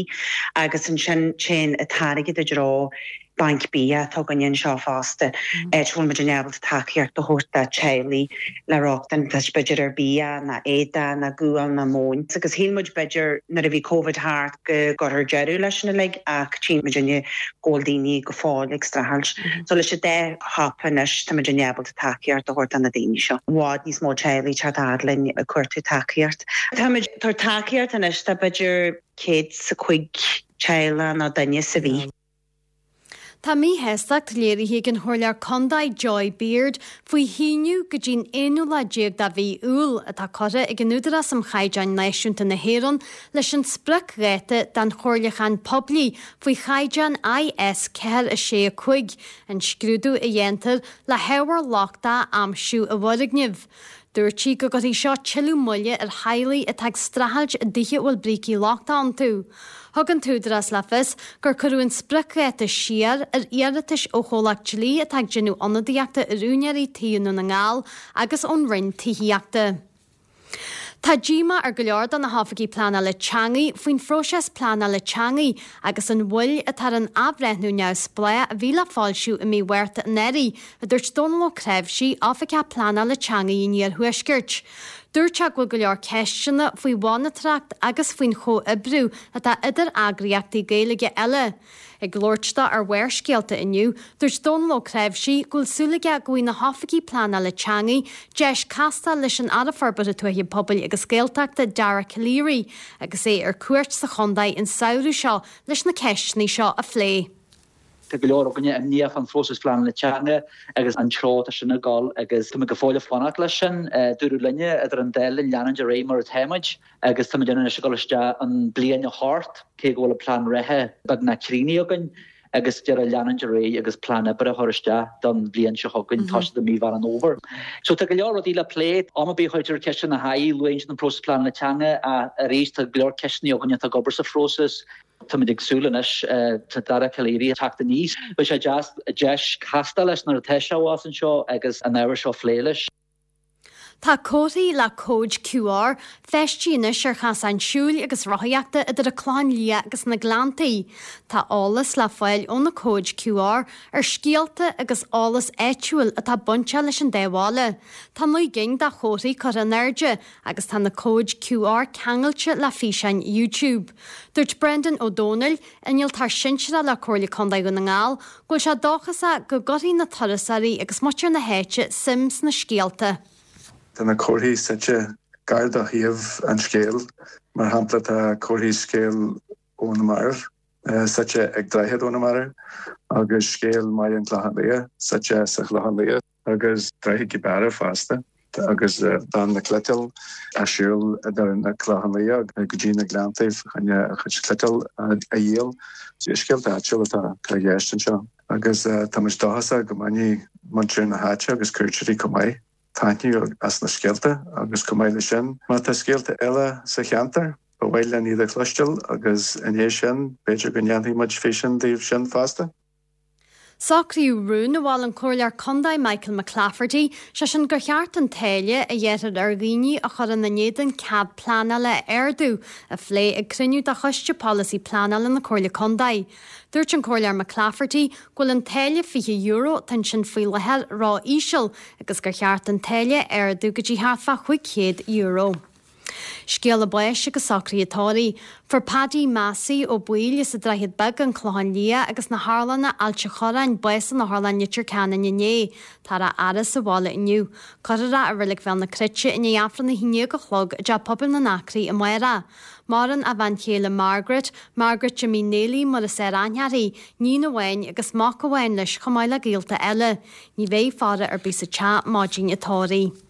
agus ansin téann an t-airgead i dtreo banc bia atá againne anseo fosta, áit a bhfuil muid in ábalta tacaíocht a thabhairt do teaghlaigh le rochtain b'fhéidir ar bia ná éadaí ná gual ná móin. Agus shíl muid b'fhéidir nuair a bhí Covid thart go gcuirfear deireadh leis sin uilig ach tchíonn muidinne go bhfuil daoine go fóill ag streachailt. So leis an dá shiopa anois tá muidinne ábalta tacaíocht a thabhairt do na daoine seo. I bhfad níos mó teaghlaigh ag teacht fhad linn ag cuartú tacaíocht. Táimid ag tabhairt tacaíocht anois do b'fhéidir 105 teaghlach nó duine sa mhí.
Tá míshástacht léirithe ag an Chomhairleoir Contae Joy Beard faoi shíneadh go dtí'n aonú lá déag de mhí Iúil atá curtha ag an Údarás um Chaighdeáin Náisiúnta na hÉireann leis an spriocdháta don chomhairliúchán poiblí faoi chaighdeán IS 4 6 5, an scrúdú a dhéantar le hábhar lochtach a aimsiú i bhfoirgnimh. Dúirt sí go gcuirfidh seo tuilleadh moille ar theaghlaigh atá ag streachailt i dtithe a bhfuil brící lochtacha iontu. Thug an t-údarás le fios gur cuireadh an spriocdháta siar ar iarratais ó chomhlacht dlí atá ag déanamh ionadaíochta ar úinéirí tí i nDún na nGall agus ón Roinn Tithíochta. Tá díomá ar go leor de na hoifigigh pleanála teanga faoin phróiseas pleanála teanga agus an mhoill atá ar an athbhreithniú neamhspleách a bhí le foilsiú i mí Mhárta anuraidh, a dúirt Dónal Ó Cnáimhsí, Oifigeach Pleanála Teanga an Iarthuaiscirt. Dúirt sé go bhfuil go leor ceisteanna faoi mhonatóireacht agus faoin chomhoibriú atá idir eagraíochtaí Gaeilge eile. Ag labhairt dó ar Bharrscéalta inniu, dúirt Dónal Ó Cnáimhsí go bhfuil súil aige go bhfaighidh na hoifigigh pleanála teanga deis castáil leis an Aire Forbartha Tuaithe Pobail agus Gaeltachta Dara Calleary agus é ar cuairt sa chontae an samhradh seo leis na ceisteanna seo a phlé.
Tá go leor againne imníoch fán phróiseas pleanála teanga agus an treo atá sin ag dul agus táimid go fóill ag fanacht leis sin. Dúradh linne idir an dá linn leanúint ar aghaidh mar atáimid agus táimid anois ag dul isteach in bliain 8 cé go bhfuil an plean reatha beagnach críochnaithe againn agus deireadh leanúint ar aghaidh agus plean oibre a chur isteach don bhliain seo chugainn, toiseacht i mí Mheán an Fhómhair. So tá go leor rudaí le plé. Am ar bith a chuirtear ceist ina haghaidh, luann siad an próiseas pleanála teanga ach arís tá go leor ceisteanna againne atá ag obair sa phróiseas. Táimid ag súil anois, tá Dara Calleary ag teacht aníos. Beidh sé deas deis castáil leis nuair atá sé abhus anseo agus an ábhar seo a phlé leis.
Tá comharthaí le cóid QR feistithe anois ar chasáin siúil agus rothaíochta idir an Clochán Liath agus na Gleanntaí. Tá eolas le fáil ó na cóid QR ar scéalta agus eolas áitiúil atá bainteach leis an dá bhaile. Tá 9 gcinn de chomharthaí curtha in airde agus tá na cóid QR ceangailte le físeáin YouTube. Dúirt Brendan Ó Domhnaill, Innealtóir Sinsearach le Comhairle Contae Dhún na nGall, go bhfuil sé dóchasach go gcuirfidh na turasóirí agus muintir na háite suim sna scéalta.
Tá na comharthaí suite gar do shuíomh an scéil. Mar shampla, tá comharthaí Scéal ó na Mairbh suite ag Droichead ó na Mairbh agus Scéal mBaile an Chlocháin Liath suite sa Chlochán Liath. agus Droichead Gibara fosta, agus bean na cniotála ag siúl idir na Clochán Liath go dtí na Gleanntaibh chun a chuid cniotáil a dhíol. Scéalta áitiúla atá i gceist anseo agus tá muid dóchasach go mbainfidh muintir na háite agus cuairteoirí chomh maith taitneamh as na scéalta agus chomh maith leis sin, má tá scéalta eile sa cheantar, ba mhaith linn iad a chloisteáil agus i ndiaidh sin, b'fhéidir go ndéanfaidh muid físeán díobh sin fosta.
Socraíodh rún a mhol an Comhairleoir Contae Michael McClafferty, sé sin gur cheart an táille a ghearrthar ar dhaoine a chuireann in éadan cead pleanála a ardú, a phlé ag cruinniú de Choiste Polasaí Pleanála na Comhairle Contae. Dúirt an Comhairleoir McClafferty go bhfuil an táille €20 atá ansin faoi láthair ró-íseal agus gur cheart an táille a ardú go dtí thart fá €500. Scéala báis agus socruithe tórraimh. Fuair Paddy Massey Ó Baoill as an Droichead Beag, An Clochán Liath agus na hOtharlanna, Ailt an Chorráin, bás in Otharlann Leitir Ceanainn inné. Táthar á fhaire sa bhaile inniu. Cuirfear é i Reilig Bhéal na Cruite i ndiaidh Aifreann a haon déag a chlog i dTeach Pobail na nAcraí amárach. Maireann a bhean chéile Margaret, Margaret Jimmy Néilí mar is fearr aithne uirthi, níon amháin agus mac amháin leis chomh maith le gaolta eile. Ní bheidh faire ar bith sa teach maidin an tórraimh.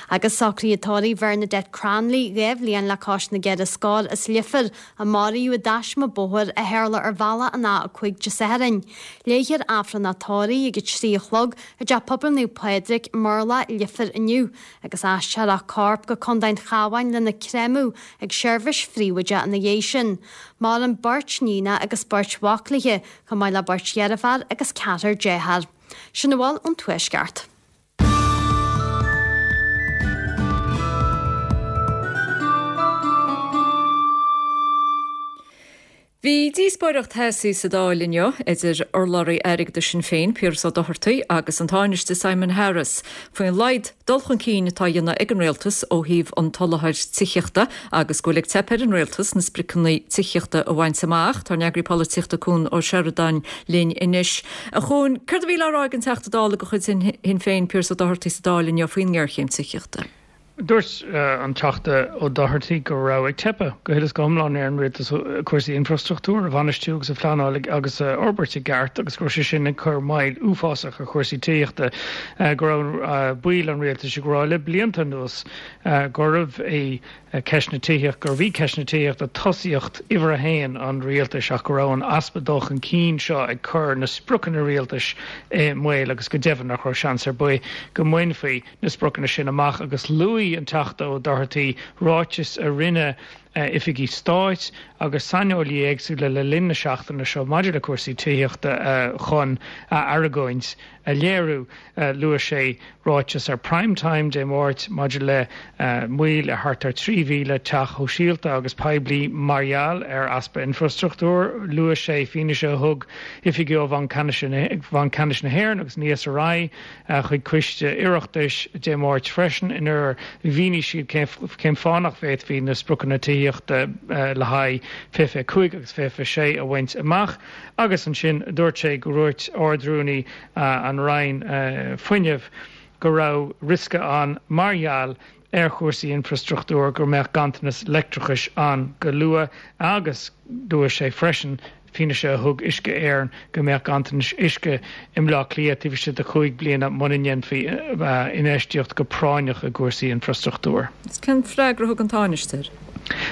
Agus socruithe tórraimh Bhernadette Cranley, 2 bhliain le cois na gceithre scór as Leifear, a maraíodh i dtaisme bóthair a tharla ar bhealach an A5 Dé Sathairn. Léifear Aifreann an tórraimh ag a 3 a chlog i dTeach Pobail Naomh Pádraig, Murlach, Leifear inniu, agus aistreofar a corp go Contae an Chabháin lena chréamadh ag seirbhís phríobháideach ina dhiaidh sin. Maireann beirt níonacha agus beirt mhac léi, chomh maith le beirt dheirféar agus ceathrar dearthár. Sin a bhfuil ón Tuaisceart.
Bhí díospóireacht theasaí sa Dáil inniu idir urlabhraí airgeadais Shinn Féin, Piaras Ó Dochartaigh agus an Tánaiste Simon Harris faoin laghad dul chun cinn atá á dhéanamh ag an Rialtas ó thaobh an tsoláthair tithíochta agus go bhfuil ag teip ar an Rialtas na spriocanna tithíochta a bhaint amach. Tá ár n-eagraí polaitíochta Cuan Ó Seireadáin linn anois. A Chuain, céard a bhí le rá ag an Teachta Dála de chuid Shinn Féin, Piaras Ó Dochartaigh sa Dáil inniu faoin ngéarchéim tithíochta?
Dúirt an Teachta Ó Dochartaigh go raibh ag teipeadh go huile is go hiomlán ar an Rialtas cúrsaí infrastruchtúir a bhainistiú agus a phleanáil agus a fhorbairt i gceart agus go raibh sé sin ag cur moill uafásach ar chúrsaí tithíochta, go raibh baill an Rialtais ag rá le blianta anuas gurbh é ceist na tithíochta, gurbh í ceist na tithíochta tosaíocht uimhir a haon an rialtais ach go raibh an easpa dul chun cinn seo ag cur na spriocanna rialtais i mbaol agus go deimhin nach raibh seans ar bith go mbainfí na spriocanna sin amach agus luaigh an Teachta Ó Dochartaigh ráitis a rinne oifigigh stáit agus saineolaithe éagsúla le linn na seachtaine seo maidir le cúrsaí tithíochta chun a argóint a léiriú. Luaigh sé ráiteas ar Prime Time Dé Máirt maidir le moill ar thart ar 3,000 teach shóisialta agus poiblí mar gheall ar easpa infrastruchtúir. Luaigh sé fianaise a thug oifigigh ó Bhanc Ceannais na hÉireann agus an ESRI chuig coiste Oireachtais Dé Máirt freisin inar mhínigh siad cén fáth nach bhféadfaí na spriocanna tithíochta le haghaidh 2025 agus 2026 a bhaint amach. Agus ansin dúirt sé go ndúirt Ard-Rúnaí an Roinn Fuinnimh go raibh riosca ann mar gheall ar chúrsaí infrastruchtúir go mbeadh ganntanas leictreachais ann go luath agus dúirt sé freisin fianaise a thug Uisce Éireann go mbeadh ganntanas uisce i mBleá Cliath taobh istigh de chúig bliana muna ndéanfaí infheistíocht go práinneach i gcúrsaí infrastruchtúir.
Cén freagra a thug an Tánaiste air?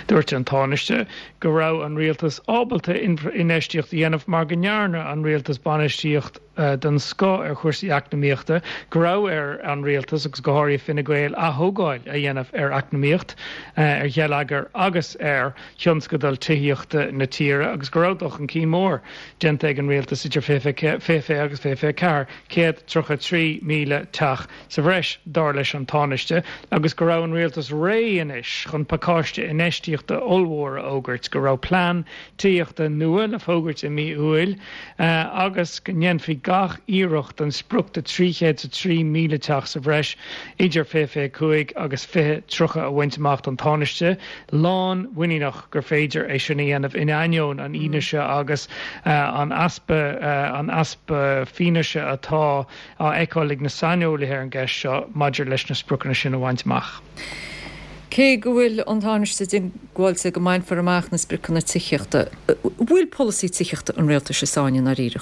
Dúirt an Tánaiste go raibh an rialtas ábalta infheistíocht a dhéanamh mar go ndearna an rialtas bainistíocht den scoth ar chúrsaí eacnamaíochta, go raibh ar an rialtas, agus go háirithe Fine Gael, ath-thógáil a dhéanamh ar eacnamaíocht, ar gheilleagar agus ar thionscadail tithíochta na tíre agus go raibh dul chun cinn mór déanta ag an rialtas idir 2020 agus 2024, 133,000 teach. sa bhreis, dar leis an Tánaiste, agus go raibh an rialtas réidh anois chun pacáiste infheistíochta ollmhór a fhógairt, go raibh plean tithíochta nua le fógairt i mí Iúil agus go ndéanfaí gach iarracht an sprioc de 303,000 teach sa bhreis idir 2025 agus 2030 a bhaint amach. Tá an Tánaiste lánmhuiníneach gur féidir é sin a dhéanamh in ainneoin an fhianaise agus an easpa an easpa fianaise atá á fheiceáil ag na saineolaithe ar an gceist seo maidir leis na spriocanna sin a bhaint amach.
Cé go bhfuil an Tánaiste diongbháilte go mbainfear amach na spriocanna tithíochta, an bhfuil polasaí tithíochta an rialtais i sáinn i ndáiríre?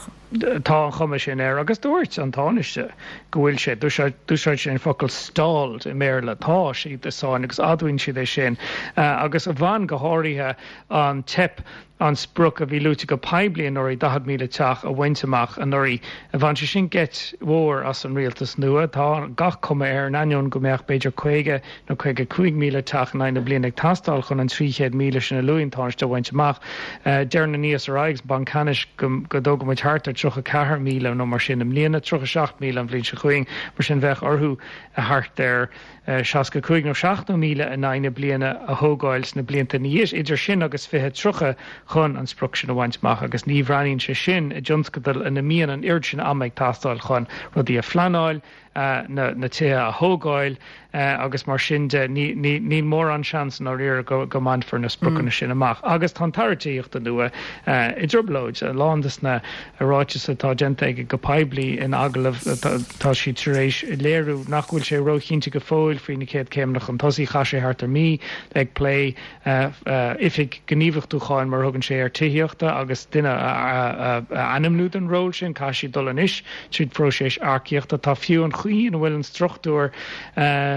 Tá an chuma sin air agus dúirt an Tánaiste go bhfuil sé, d'úsáid sé an focal stalled i mBéarla, tá siad i sáinn agus admhaíonn siad é sin agus bhain go háirithe an teip. an sprioc a bhí luaite go poiblí anuraidh, 40,000 teach, a bhaint amach anuraidh. Bhain sé sin geit mhór as an rialtas nua. Tá gach cuma air, in ainneoin go mbeadh b'fhéidir 50 nó 55,000 teach in aghaidh na bliana ag teastáil chun an 300,000 sin a luaigh an Tánaiste a bhaint amach. Deir an ESRI agus an Banc Ceannais go dtógfaidh muid thart ar 34,000 nó mar sin i mbliana, 37,000 an bhliain seo chugainn. Mar sin bheadh orthu thart ar 65 nó 70,000 in aghaidh na bliana a thógáil sna blianta ina dhiaidh, idir sin agus 2030 chun an sprioc sin a bhaint amach agus ní bhreathnaíonn sé sin i dtionscadal ina mbíonn an oiread sin ama ag teastáil chun rudaí a phleanáil, na tithe a thógáil agus mar sin de, níl mórán seans i ndáiríre go mbainfear na spriocanna sin amach. Agus tá an tAire Tithíochta nua i dtrioblóid. A lán de na ráitis atá déanta aige go poiblí in agallaimh, tá siad tar éis léiriú nach bhfuil sé róchinnte go fóill faoi na chéad chéimeanna chun tosaigh. Chaith sé thart ar mí ag plé oifig gníomhachtúcháin, mar a thugann sé air, tithíochta agus duine a ainmniú don ról sin. Caithfidh siad dul anois tríd phróiseas earcaíochta. Tá fiú an chaoi ina bhfuil an struchtúr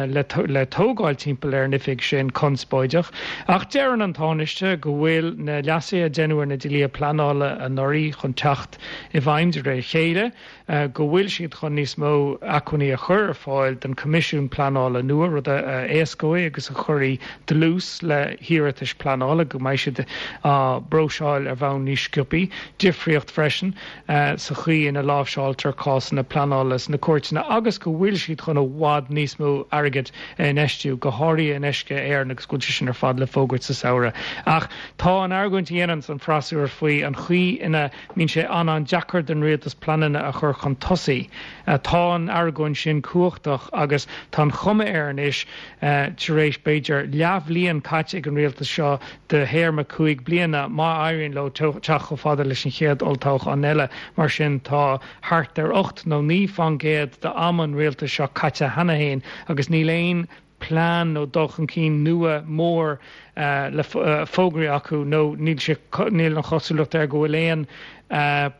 le tógáil timpeall ar an oifig sin conspóideach. Ach deireann an Tánaiste go bhfuil na leasuithe a deineadh ar na dlíthe pleanála anuraidh chun teacht i bhfeidhm de réir a chéile. go bhfuil siad chun níos mó acmhainní a chur ar fáil don Choimisiún Pleanála nua, rud a éascóidh agus a chuirfidh dlús le hiarratais pleanála, go mbeidh siad á bpróiseáil ar bhonn níos sciobthaí. Difríocht freisin sa chaoi ina láimhseáiltear cásanna pleanála sna cúirteanna agus go bhfuil siad chun i bhfad níos mó airgid a infheistiú, go háirithe in Uisce Éireann agus go bhfuil sé sin ar fad le fógairt sa samhradh. Ach tá an argóint a dhéananns an freasúra faoi an chaoi ina mbíonn sé an-an-deacair don rialtas pleananna a chur chun tosaigh. Tá an argóint sin cumhachtach agus tá an chuma air anois, tar éis b'fhéidir leathbhliain caite ag an rialtas seo de théarma 5 bliana, má éiríonn leo teacht chomh fada leis an chéad olltoghchán eile, mar sin tá thart ar 8 nó 9 fán gcéad d'am an rialtais seo caite cheana féin agus níl aon plean nó dul chun cinn nua mór le fógraí acu nó níl sé, níl an chosúlacht air go bhfuil aon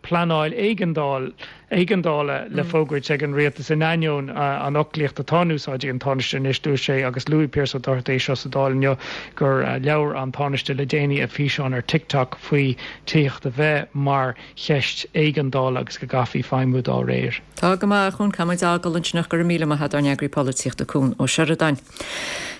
pleanáil éigeandáil, éigeandála le fógairt ag an rialtas in ainneoin an fhoclaíocht atá in úsáid ag an Tánaiste anois. Dúirt sé, agus luaigh Pearse Ó Dochartaigh é seo sa Dáil inniu, gur labhair an Tánaiste le déanaí i bhfíseán ar TikTok faoi tithíocht a bheith mar cheist éigeandála agus go gcaithfí feidhmiú dá réir.
Tá go maith, a Chuan, caithfidh muid é a fhágáil ansin ach go raibh míle maith agat ár n-eagraí polaitíochta Cuan Ó Seireadáin.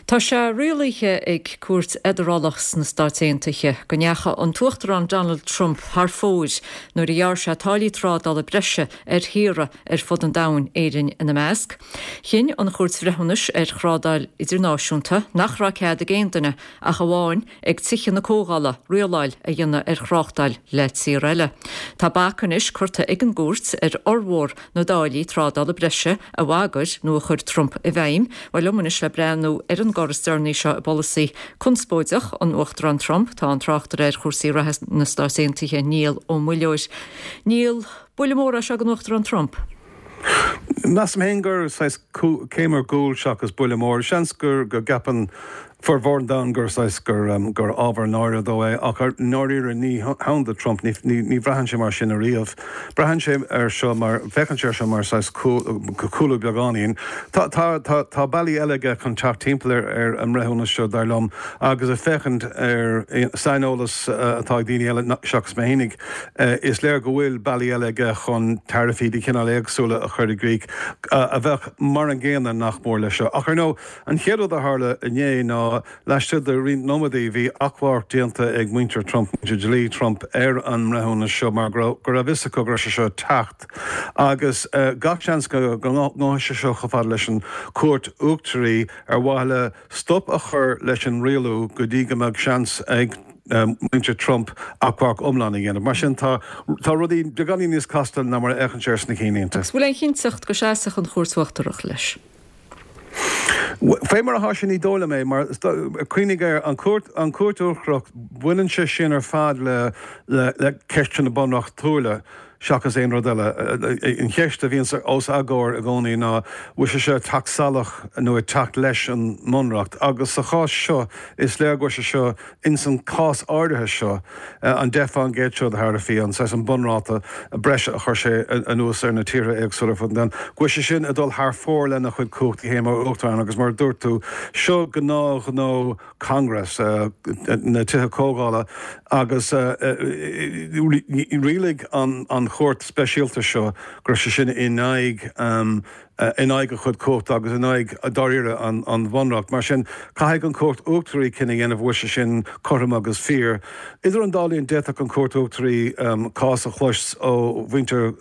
Tá sé rialaithe ag cúirt fheidearálach sna Stáit Aontaithe go ndeachaigh an tUachtarán Donald Trump thar fóir nuair a ghearr sé táillí trádála breise ar thíortha ar fud an domhain, Éirinn ina measc. Chinn an Chúirt Bhreithiúnais ar Thrádáil Idirnáisiúnta nach raibh cead ag aon duine ach amháin ag Tithe na Comhdhála rialáil a dhéanamh ar thráchtáil le tír eile. Tá bac anois curtha ag an gcúirt ar fhormhór na dtáillí trádála breise a bhagair nó a chuir Trump i bhfeidhm. Bhuel, liom anois le breathnú ar an gcor is deireanaí seo i bpolasaí conspóideach an Uachtaráin Trump, tá an tráchtaire ar chúrsaí reatha na Stáit Aontaithe, Niall Ó Muilleoir. Niall, buille mór é seo don Uachtarán Trump?
Measaim féin gur saghas céim ar gcúl seachas buille mór. Seans go gceapann formhór an domhain gur saghas gur gur ábhar náire dó é ach i ndáiríre ní hann do Trump, ní ní bhraitheann sé mar sin ariamh. Braitheann sé air seo mar, féachann sé air seo mar saghas cúlú beagáinín. Tá tá tá tá bealaí eile aige chun teacht timpeall ar ar an mbreithiúnas seo dar liom agus ag féachaint ar saineolas atá ag daoine eile seachas mé fhéinig, Is léir go bhfuil bealaí eile aige chun taraifí de chineál éagsúla a chur i gcrích, a bheadh mar an gcéanna nach mór leis seo. Ach ar ndóigh, an chéad rud a tharla inné ná, laistigh de roinnt nóiméadaí, bhí achomharc déanta ag muintir Trump, muintir dlí Trump, ar an mbreithiúnas seo mar go raibh a fhios acu go raibh sé seo ag teacht. Agus gach seans go ngabhfaidh sé seo chomh fada leis an Chúirt Uachtaraí ar mhaithe le stop a chur leis an rialú go dtí go mbeadh seans ag muintir Trump achomharc iomlán a dhéanamh. Mar sin, tá tá rudaí beagáinín níos casta ná mar a fhéachann sé ar na cinnlínte.
Agus bhfuil aon chinnteacht go seasfadh an Chúirt Uachtarach leis?
Fé mar atá sé ní dóigh liom é, mar cuimhnigh air, an Chúirt an Chúirt Uachtarach, baineann sé sin ar fad le le le ceisteanna bunreachtúla. seachas aon rud eile. An cheist a bhíonns os a gcomhair i gcónaí ná bhfuil sé seo ag teacht salach nó ag teacht leis an mBunreacht agus sa chás seo is léir go bhfuil sé seo ins an cás áirithe seo, an 10% seo de tharaifí, an saghas an bunráta breise a chuir sé anuas ar na tíortha éagsúla ar fud an domhain, go bhfuil sé sin ag dul thar fóir lena chuid cumhachtaí féin mar Uachtarán agus mar a dúirt tú, seo gnáthghnó Congress, na Tithe Comhdhála agus rialaigh an chúirt speisialta seo go raibh sé sin in aghaidh in aghaidh a chuid cumhachta agus in aghaidh, dáiríre, an Bhunreacht. Mar sin, caithfidh an Chúirt Uachtaraí cinneadh a dhéanamh an bhfuil sé sin cothrom agus fíor. Idir an dá linn, d'fhéadfadh an Chúirt Uachtaraí cás a chlois ó mhuintir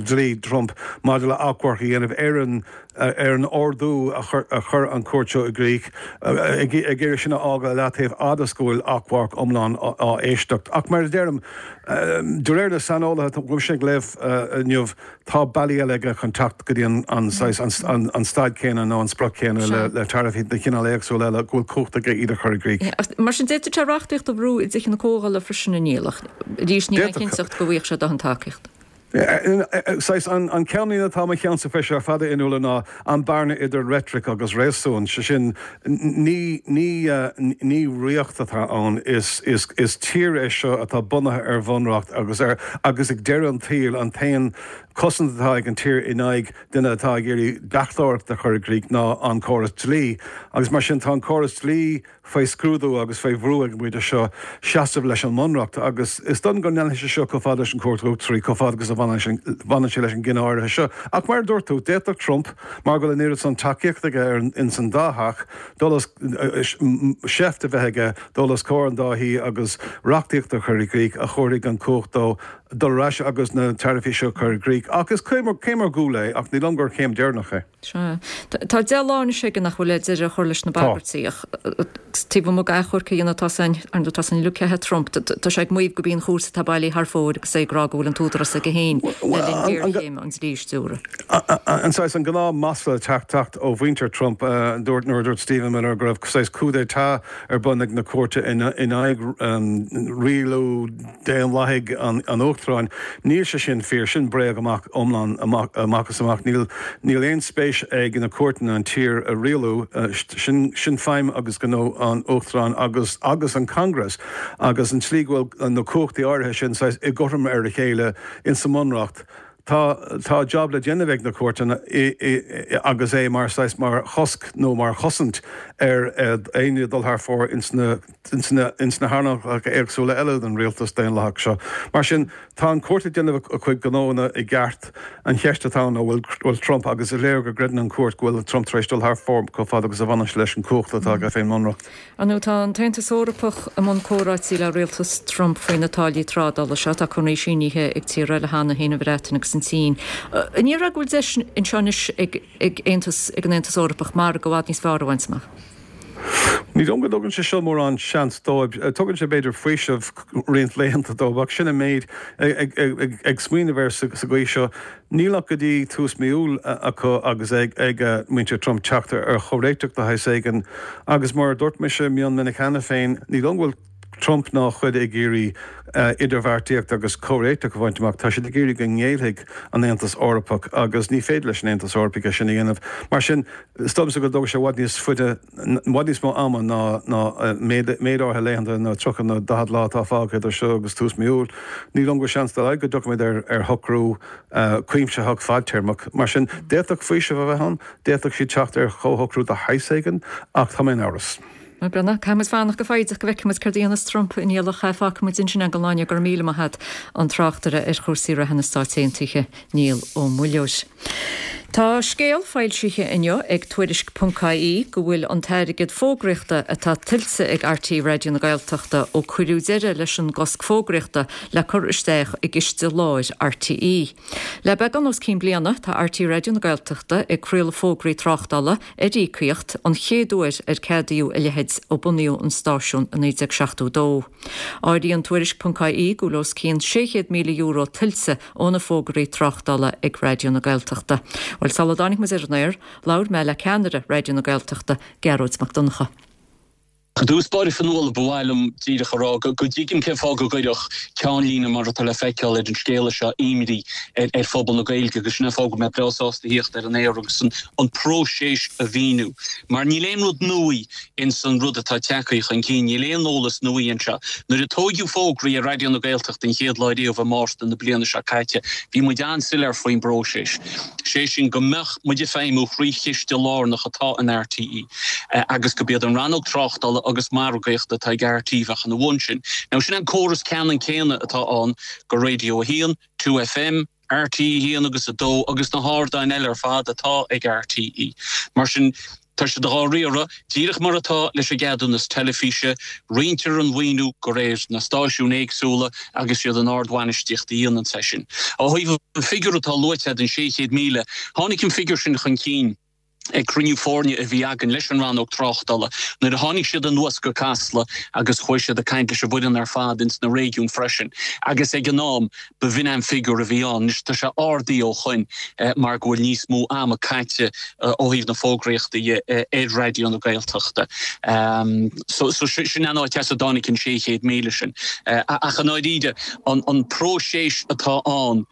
dlí Trump maidir le achomharc a dhéanamh ar an ar an ordú a chuir an chúirt seo i gcrích, ag iarraidh sin a fhágáil i leataobh fhad is go bhfuil achomharc iomlán á éisteacht. Ach mar a deirim, de réir na saineolaithe atá mise ag léamh inniu, Tá bealaí eile aige chun teacht go dtí an saghas, an staid chéanna nó an sprioc chéanna le taraifí de chineál éagsúil eile go bhfuil cumhacht aige iad a chur i gcrích.
Mar sin, d'fhéadfadh sé reachtaíocht a bhrú i dTithe na Comhdhála freisin, a Niall, ach arís níl aon chinnteacht go bhfaighidh sé dóthain tacaíochta.
Saghas, an ceannlíne atá i mo cheannsa fé seo ar fad a Fhionnuala ná an bearna idir reitric agus réasún, sé sin, ní, ní, ní ríocht atá ann, is, is, is tír é seo atá bunaithe ar bhunreacht agus ar, agus ag deireadh an tsaoil an t-aon chosaint atá ag an tír in aghaidh duine atá ag iarraidh deachtóireacht a chur i gcrích ná an córas dlí agus mar sin tá an córas dlí faoi scrúdú agus faoi bhrú ag an bpointe seo seasamh leis an mBunreacht agus is dóigh liom go leanfaidh sé seo chomh fada leis an Chúirt Uachtaraí, chomh fada agus a bhaineann sé leis an gcinneadh áirithe seo. Ach mar a dúirt tú, d'fhéadfadh Trump, mar go bhfuil an oiread san tacaíocht aige ar ins an dá theach, dul os, seift a bheith aige dul os comhair an dá thí agus reachtaíocht a chur i gcrích a thabharfaidh an cumhacht dó dul ar ais agus na taraifí seo a chur i gcrích. Ach is céim ar gcúl é ach ní dóigh liom gur chéim deireanach é.
Sea. Tá 10 lá anois aige nach bhfuil le deireadh a chur leis na bagairtí ach taobh amuigh d'achomharc a dhéanamh tá san, ar ndóigh tá san uilig ceaptha Trump. Tá sé ag maíomh gurb í an chúirt atá bailithe thar fóir agus é ag rá go bhfuil an t-údarás aige féin le linn géarchéime an dlí a stiúradh.
An saghas, an gnáth masla ag teacht ó mhuintir Trump, dúirt, nuair a dúirt Stephen Miller go raibh saghas coup d'état ar bun ag na cúirte in aghaidh rialú daonlathaigh an Uachtaráin. Níl sé sin fíor. Sin bréag amach iomlán amach is amach. Níl níl aon spéis ag na cúirteanna an tír a rialú. Sin sin feidhm agus gnó an Uachtaráin agus agus an Congress agus an tslí go bhfuil na cumhachtaí áirithe sin saghas i gcothrom ar a chéile insa mBunreacht. Tá tá jab le déanamh ag na cúirteanna i i agus é mar saghas mar chosc nó mar chosaint ar éinne dul thar fóir ins na ins na ins na hearnálacha éagsúla eile den rialtas daonlathach seo. Mar sin, tá an chúirt ag déanamh a cuid gnóanna i gceart. An cheist atá ann ná bhfuil bhfuil Trump agus is léir go gcreideann an chúirt go bhfuil Trump tar éis dul thar fóir chomh fada agus a bhaineann sé leis an chumhacht atá aige fén mBunreacht.
Ar ndóigh, tá an tAontas Eorpach i mbun comhráití le rialtas Trump faoi na táillí trádála seo. Tá conarthaí sínithe ag tíortha eile cheana féin, an Bhreatain agus an tSín. An ndéarfá go bhfuil deis anseo anois ag ag Aontas ag an Aontas Eorpach margadh i bhfad níos fearr a bhaint amach?
Ní dóigh liom go dtugann sé seo mórán seans dóibh. Tugann sé b'fhéidir faoiseamh roinnt laethanta dóibh ach sin an méid. Ag smaoineamh air sa gcaoi seo, Níl ach go dtí tús mí Iúil acu agus ag muintir Trump teacht ar chomhréiteach de shaghas éigin agus mar a dúirt mise mion minic cheana féin, ní dóigh liom go bhfuil Trump ná a chuid ag iarraidh idirbheartaíocht agus comhréiteach a bhaint amach, tá siad ag iarraidh go ngéillfidh an Aontas Eorpach agus ní féidir leis an Aontas Eorpach é sin a dhéanamh. Mar sin, is dóigh liomsa go dtógfaidh sé i bhfad níos faide, i bhfad níos mó ama ná ná méid áirithe laethanta nó 30 nó 40 lá atá fágtha idir seo agus tús mí Iúil. Ní dóigh liom go bhfuil seans dá laghad go dtiocfaimid ar ar shocrú cuimsitheach fadtéarmach. Mar sin, d'fhéadfadh faoiseamh a bheith ann, d'fhéadfadh siad teacht ar chomhshocrú de shaghas éigin, ach tá mé in amhras.
Bhuel, caithfidh muid fanacht go foighdeach go bhfeicfidh muid céard a dhéanfas Trump a Niall ach fágfaidh muid ansin é don lá inniu. Go raibh míle maith agat, an tráchtaire ar chúrsaí reatha na Stáit Aontaithe, Niall Ó Muilleoir. Tá scéal foilsithe inniu ag Tuairisc ponc ie go bhfuil an t-airgead fógraíochta atá tuillte ag RTÉ Raidió na Gaeltachta ó cuireadh deireadh leis an gcosc fógraíochta le cur isteach i gciste láir RTÉ. Le beagán os cionn bliana tá RTÉ Raidió na Gaeltachta ag craoladh fógraí tráchtála ar íocaíocht, an chéad uair ar ceadaíodh a leithéid ó bunaíodh an stáisiún i 1972. Áiríonn Tuairisc ponc ie go bhfuil os cionn €600,000 tuillte ó na fógraí tráchtála ag Raidió na Gaeltachta. Bhuel, sula dtáinig muid ar an aer, labhair mé le ceannaire Raidió na Gaeltachta, Gearóid Mac Donncha.
I dtús báire Fionnuala, ba mhaith liom díreach a rá go dtuigim cén fáth go gcuirfeadh ceannlíne mar atá le feiceáil ar an scéala seo imní ar phobal na Gaeilge agus sin an fáth go bhfuil mé breá sásta a thíocht ar an aer agus an próiseas a mhíniú. Mar níl aon rud nua ins an rud atá tagtha chun cinn, níl aon eolas nua anseo. Nuair a tóigeadh fógraí ar Raidió na Gaeltachta an chéad lá riamh i Márta na bliana seo caite, bhí muid an-soiléir faoin bpróiseas. sé sin go mbeadh muid ag feidhmiú thrí chiste lárnach atá in RTÉ agus go b'iad an rannóg tráchtála agus margaíochta atá ag RTÉ bheadh ina bhun sin. Now sin an córas ceannann céanna atá ann go Radio 1, 2FM, RTÉ 1 agus 2 agus na hardáin eile ar fad atá ag RTÉ. Mar sin, Tá siad dhá riaradh díreach mar atá leis an gceadúnas teilifíse, roinntear an mhaoiniú de réir na stáisiún éagsúla agus siad an ardbhainistíocht a dhéanann é sin. Ó thaobh an figiúr atá luaite agat, an 600,000, tháinig an figiúr sin chun cinn ag cruinniú foirne a bhí againn leis an rannóg tráchtála nuair a tháinig siad anuas go Casla agus chuaigh siad ag caint leis an bhfoireann ar fad ins na réigiúin freisin agus ag an am B'in an figiúr a bhí ann. Anois tá sé ardaithe ó shoin mar go bhfuil níos mó ama caite ó thaobh na fógraíochta dhe ar Raidió na Gaeltachta. So sin an áit as a dtáinig an 600,000 sin. Ach i ndáiríre, an próiseas atá ann,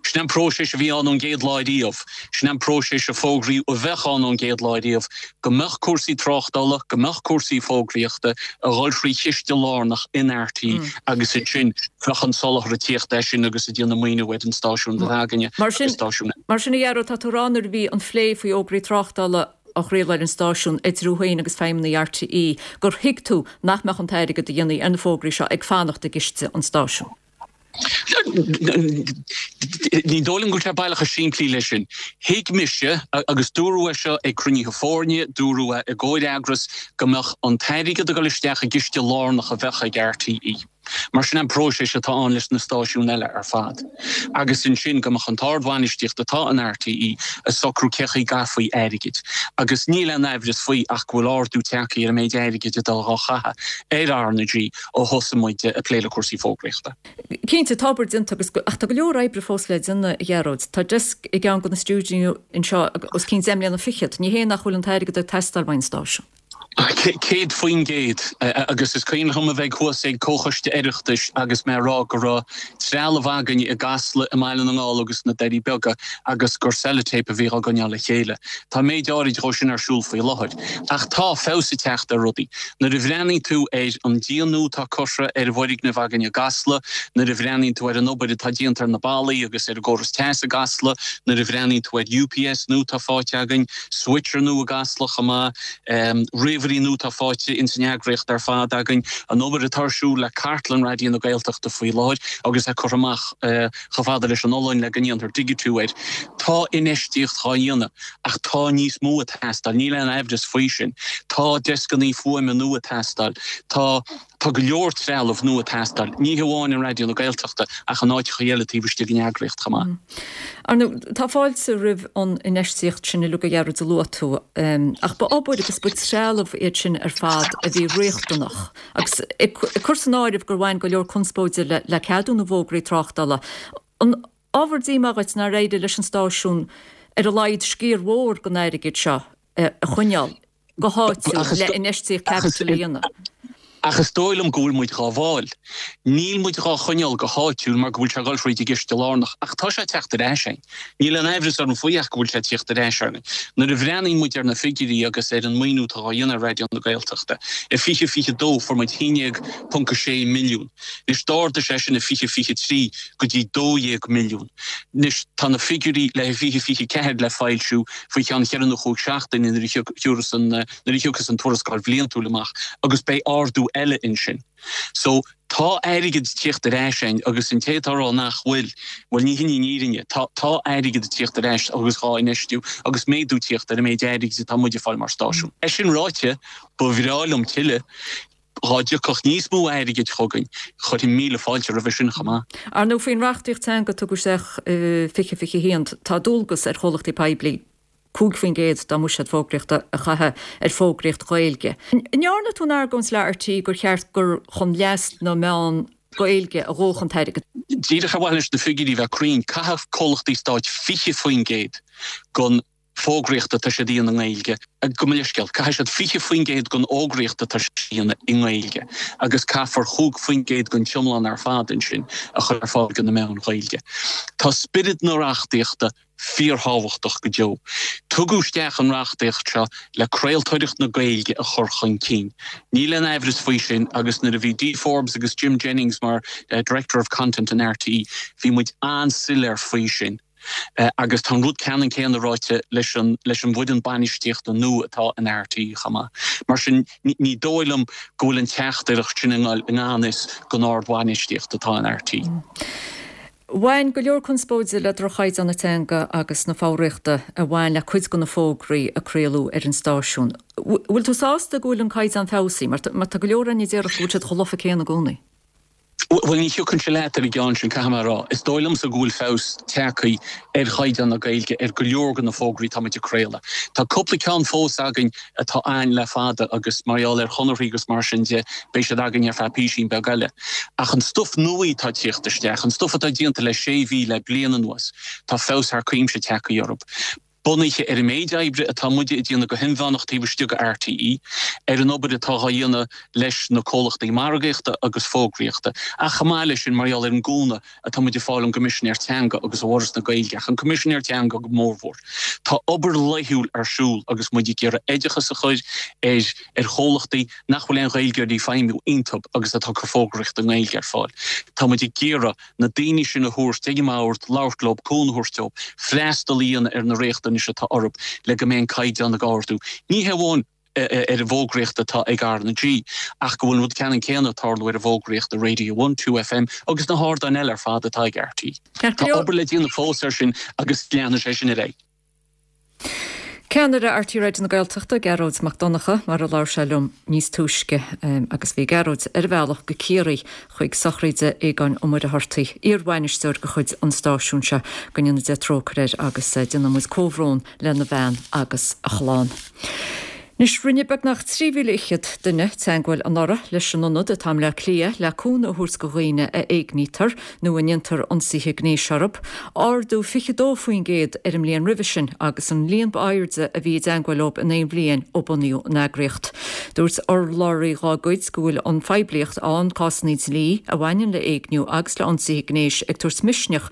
sin an próiseas a bhí ann ón gcéad lá riamh, sin an próiseas a fógraíodh a bheadh ann ón gcéad lá riamh, go mbeadh cúrsaí tráchtála, go mbeadh cúrsaí fógraíochta a dhul thrí chiste lárnach in RTÉ agus ansin bheadh an soláthar ag tíocht as sin agus ag déanamh maoiniú ar an stáisiún atá againne
Mar sin, agus stáisiún eile. Mar sin, a Ghearóid, tá tú ag rá nuair a bhí an phlé faoi fhógraí tráchtála á chraoladh ar an stáisiún idir thú féin agus feidhmeannaigh RTÉ gur thuig tú nach mbeadh an t-airgead a dhéanfaí ar na fógraí seo ag fanacht i gciste an stáisiúin.
Ní dóigh liom go bhfuil sé baileach chomh simplí leis sin. Thuig mise, agus dúradh é seo ag cruinnithe foirne, dúradh é i gcomhfhreagras, go mbeadh an t-airgead ag dul isteach i gciste lárnach a bheadh ag RTÉ. Mar sin an próiseas atá ann leis na stáisiúin eile ar fad. Agus ansin go mbeadh an t-ardbhainistíocht atá in RTÉ ag socrú cé chaoi gcaithfí airgead. Agus níl aon aimhreas faoi ach go bhfuil ardú tagtha ar an méid airgid atá dhá chaitheamh ar RnaG ó thosaigh muid ag plé le cúrsaí fógraíochta.
Cinnte, tá obair déanta agus ach tá go leor oibre fós le déanamh, a Ghearóid. Tá deasc i gceann de na stiúidíonna anseo os cionn 10 mbliana fichead. Ní hé nach bhfuil an t-airgead ag teastáil uaidh an stáisiún.
100%. Agus is cuimhin liom a bheith thuas ag Comhchoiste Oireachtais agus mé ag rá go raibh trealamh againn i gCasla, i mBaile na nGall agus sna Doirí Beaga agus gur sellotape a bhí á gcoinneáil le chéile. Tá méid áirid dhó sin ar siúl faoi láthair. Ach tá feabhas ag teacht ar rudaí. Nuair a bhreathnaíonn tú ar an díon nua atá curtha ar an bhfoirgneamh againn i gCasla, nuair a bhreathnaíonn tú ar an obair atá déanta ar na ballaí agus ar an gcóras teas i gCasla, nuair a bhreathnaíonn tú ar UPS nua atá faighte againn, switcher nua i gCasla chomh maith, ríomhairí nua atá faighte ins an eagraíocht ar fad againn, an obair atá ar siúl le cartlann Raidió na Gaeltachta faoi láthair agus é curtha amach chomh fada leis an Ollainn le go ndéanfar digitiú air. Tá infheistíocht dhá dhéanamh ach tá níos mó ag teastáil, níl aon aimhreas faoi sin. Tá deascannaí fuaime nua ag teastáil, tá tá go leor trealamh nua ag teastáil, ní hamháin in Raidió na Gaeltachta ach in áiteacha eile taobh istigh den eagraíocht chomh maith.
Ar ndóigh, tá fáilte roimh an infheistíocht sin uilig a Ghearóid a luaigh tú, ach ba obair agus ba trealamh iad sin ar fad a bhí riachtanach. Agus ag cur san áireamh gur bhain go leor conspóide le ceadú na bhfógraí tráchtála, an ábhar díomá dhuit nár éirigh leis an stáisiún ar a laghad sciar mhór den airgead seo a choinneáil go háitiúil le infheistíocht caipitil a dhéanamh?
Ach is dóigh liom go bhfuil muid dhá bhfáil. Níl muid dhá choinneáil go háitiúil mar go bhfuil sé ag dul thríd an gciste lárnach, ach tá sé ag teacht ar ais againn. Níl aon aimhreas orm faoi ach go bhfuil sé ag tíocht ar ais orainn. Nuair a bhreathnaíonn muid ar na figiúirí agus ar an maoiniú atá á dhéanamh ar Raidió na Gaeltachta, i 2022 fuair muid 11.6 milliún. Anois d'ardaigh sé sin i 2023 go dtí 12 milliún. Anois tá na figiúirí le 2024 le foilsiú faoi cheann cheithre nó chúig seachtaine nuair a thiúrfas an nuair a thiocfas an tuarascáil bhliantúil amach agus beidh ardú eile ansin. So, tá airgead ag tíocht ar ais againn agus an té atá ag rá nach bhfuil, bhuel ní hin í an fhírinne. Tá, tá airgead ag tíocht ar ais agus dhá infheistiú agus méadú tíocht ar an méid airgid atá muid ag fáil mar stáisiún. É sin ráite, ba bhreá liom tuilleadh, dhá dtiocfadh níos mó airgid chugainn, chuirfinn míle fáilte roimhe sin chomh maith.
Ar ndóigh, faoin reachtaíocht teanga a tugadh isteach i 2021, tá dualgas ar chomhlachtaí poiblí 5% dá mbuiséad fógraíochta a chaitheamh ar fógraíocht Ghaeilge. An ndearna tú an argóint le RTÉ gur cheart gur chun leas na meán Gaeilge a ghabhfadh an t-airgead?
Díreach ar mhaithe leis na figiúirí a bheith cruinn, caithfidh comhlachtaí stáit 20% den. fógraíocht atá siad a dhéanamh i nGaeilge, gabh mo leithscéal, caithfidh siad 20% den fhógraíocht atá siad a dhéanamh i nGaeilge agus caithfear 5% den t-iomlán ar fad ansin a chur ar fáil do na meáin Ghaeilge. Tá spiorad na reachtaíochta fíorthábhachtach go deo. Tugadh isteach an reachtaíocht seo le craoltóireacht na Gaeilge a chur chun cinn. Níl aon aimhreas faoi sin agus nuair a bhí Dee Forbes agus Jim Jennings mar Director of Content in RTÉ bhí muid an-soiléir faoi sin. Agus tá an rud ceannann céanna ráite leis an leis an bhfoireann bainistíochta nua atá in RTÉ chomh maith. Mar sin ní dóigh liom go bhfuil an teachtaireacht sin i ngan fhios don ardbhainistíocht atá in RTÉ.
Bhain go leor conspóide le droch-chaighdeán na teanga agus na foghraíochta a bhain le cuid de na fógraí a craoladh ar an stáisiún. Bhfuil tú sásta go bhfuil an caighdeán feabhsaithe? Mar tá go leor againn a déarfadh go bhfuil siad chomh lofa céanna i gcónaí.
Bhuel, ní thiocfainnse leat ar an gceann sin, caithfidh mé a rá. Is dóigh liomsa go bhfuil feabhas tagtha ar chaighdeán na Gaeilge ar go leor de na fógraí atá muid ag craoladh. Tá cúpla ceann fós againn atá againn le fada agus mar gheall ar chonarthaí agus mar sin de, beidh siad againn ar feadh písín beag eile. Ach an stuif nua atá ag tíocht isteach, an stuif atá déanta le sé mhí le bliain anuas, tá feabhas thar cuimse tagtha orthu. Bunaithe ar an méid oibre atá muide ag déanamh go hinmheánach taobh istigh de RTÉ, ar an obair atá á dhéanamh leis na comhlachtaí margaíochta agus fógraíochta, ach chomh maith leis sin mar gheall ar an gcúnamh atá muid ag fáil ón gCoimisinéir Teanga agus ó Fhoras na Gaeilge, ach an Coimisinéir Teanga go mórmhór. Tá obair laethúil ar siúl agus muid ag iarraidh oideachas a chur ar ar chomhlachtaí nach bhfuil aon Ghaeilgeoirí ag feidhmiú iontu agus atá ag cur fógraíocht i nGaeilge ar fáil. Tá muid ag iarraidh na daoine sin a thabhairt ag an mbord, labhairt leo, cúnamh a thabhairt dóibh, freastal a dhéanamh ar na riachtanais atá orthu le go mbeidh an caighdeán ag ardú, ní hé amháin ar an bhfógraíocht atá ag RnaG, ach go bhfuil an rud ceannann céanna ag tarlú ar an bhfógraíocht i Radio One, 2FM agus na hardáin eile ar fad atá ag RTÉ. Tá obair le déanamh fós air sin agus leanfaidh sé sin ar aghaidh.
Ceannaire RTÉ Raidió na Gaeltachta, Gearóid Mac Donncha, mar a labhair sé liom níos túisce agus bhí Gearóid ar a bhealach go Ciarraí chuig sochraide Aogáin Ó Muircheartaigh, iar-bhainisteoir de chuid an stáisiúin seo. Go ndéana Dia trócaire air agus déanann muid comhbhrón lena bhean agus a chlann. Anois, rinne beagnach 3,000 fhichead duine teagmháil anuraidh leis an ionad atá i mBleá Cliath le cúnamh a thabhairt do dhaoine a éignítear nó a ndéantar ionsaithe gnéis orthu, ardú 22% ar an mbliain roimhe sin agus an líon ba airde a bhí i dteagmháil leo in aon bhliain ó bunaíodh an eagraíocht. Dúirt urlabhraí dá gcuid go bhfuil an phoiblíocht ann cásanna dlí a bhaineann le héigniú agus le ionsaithe gnéis ag tabhairt misneach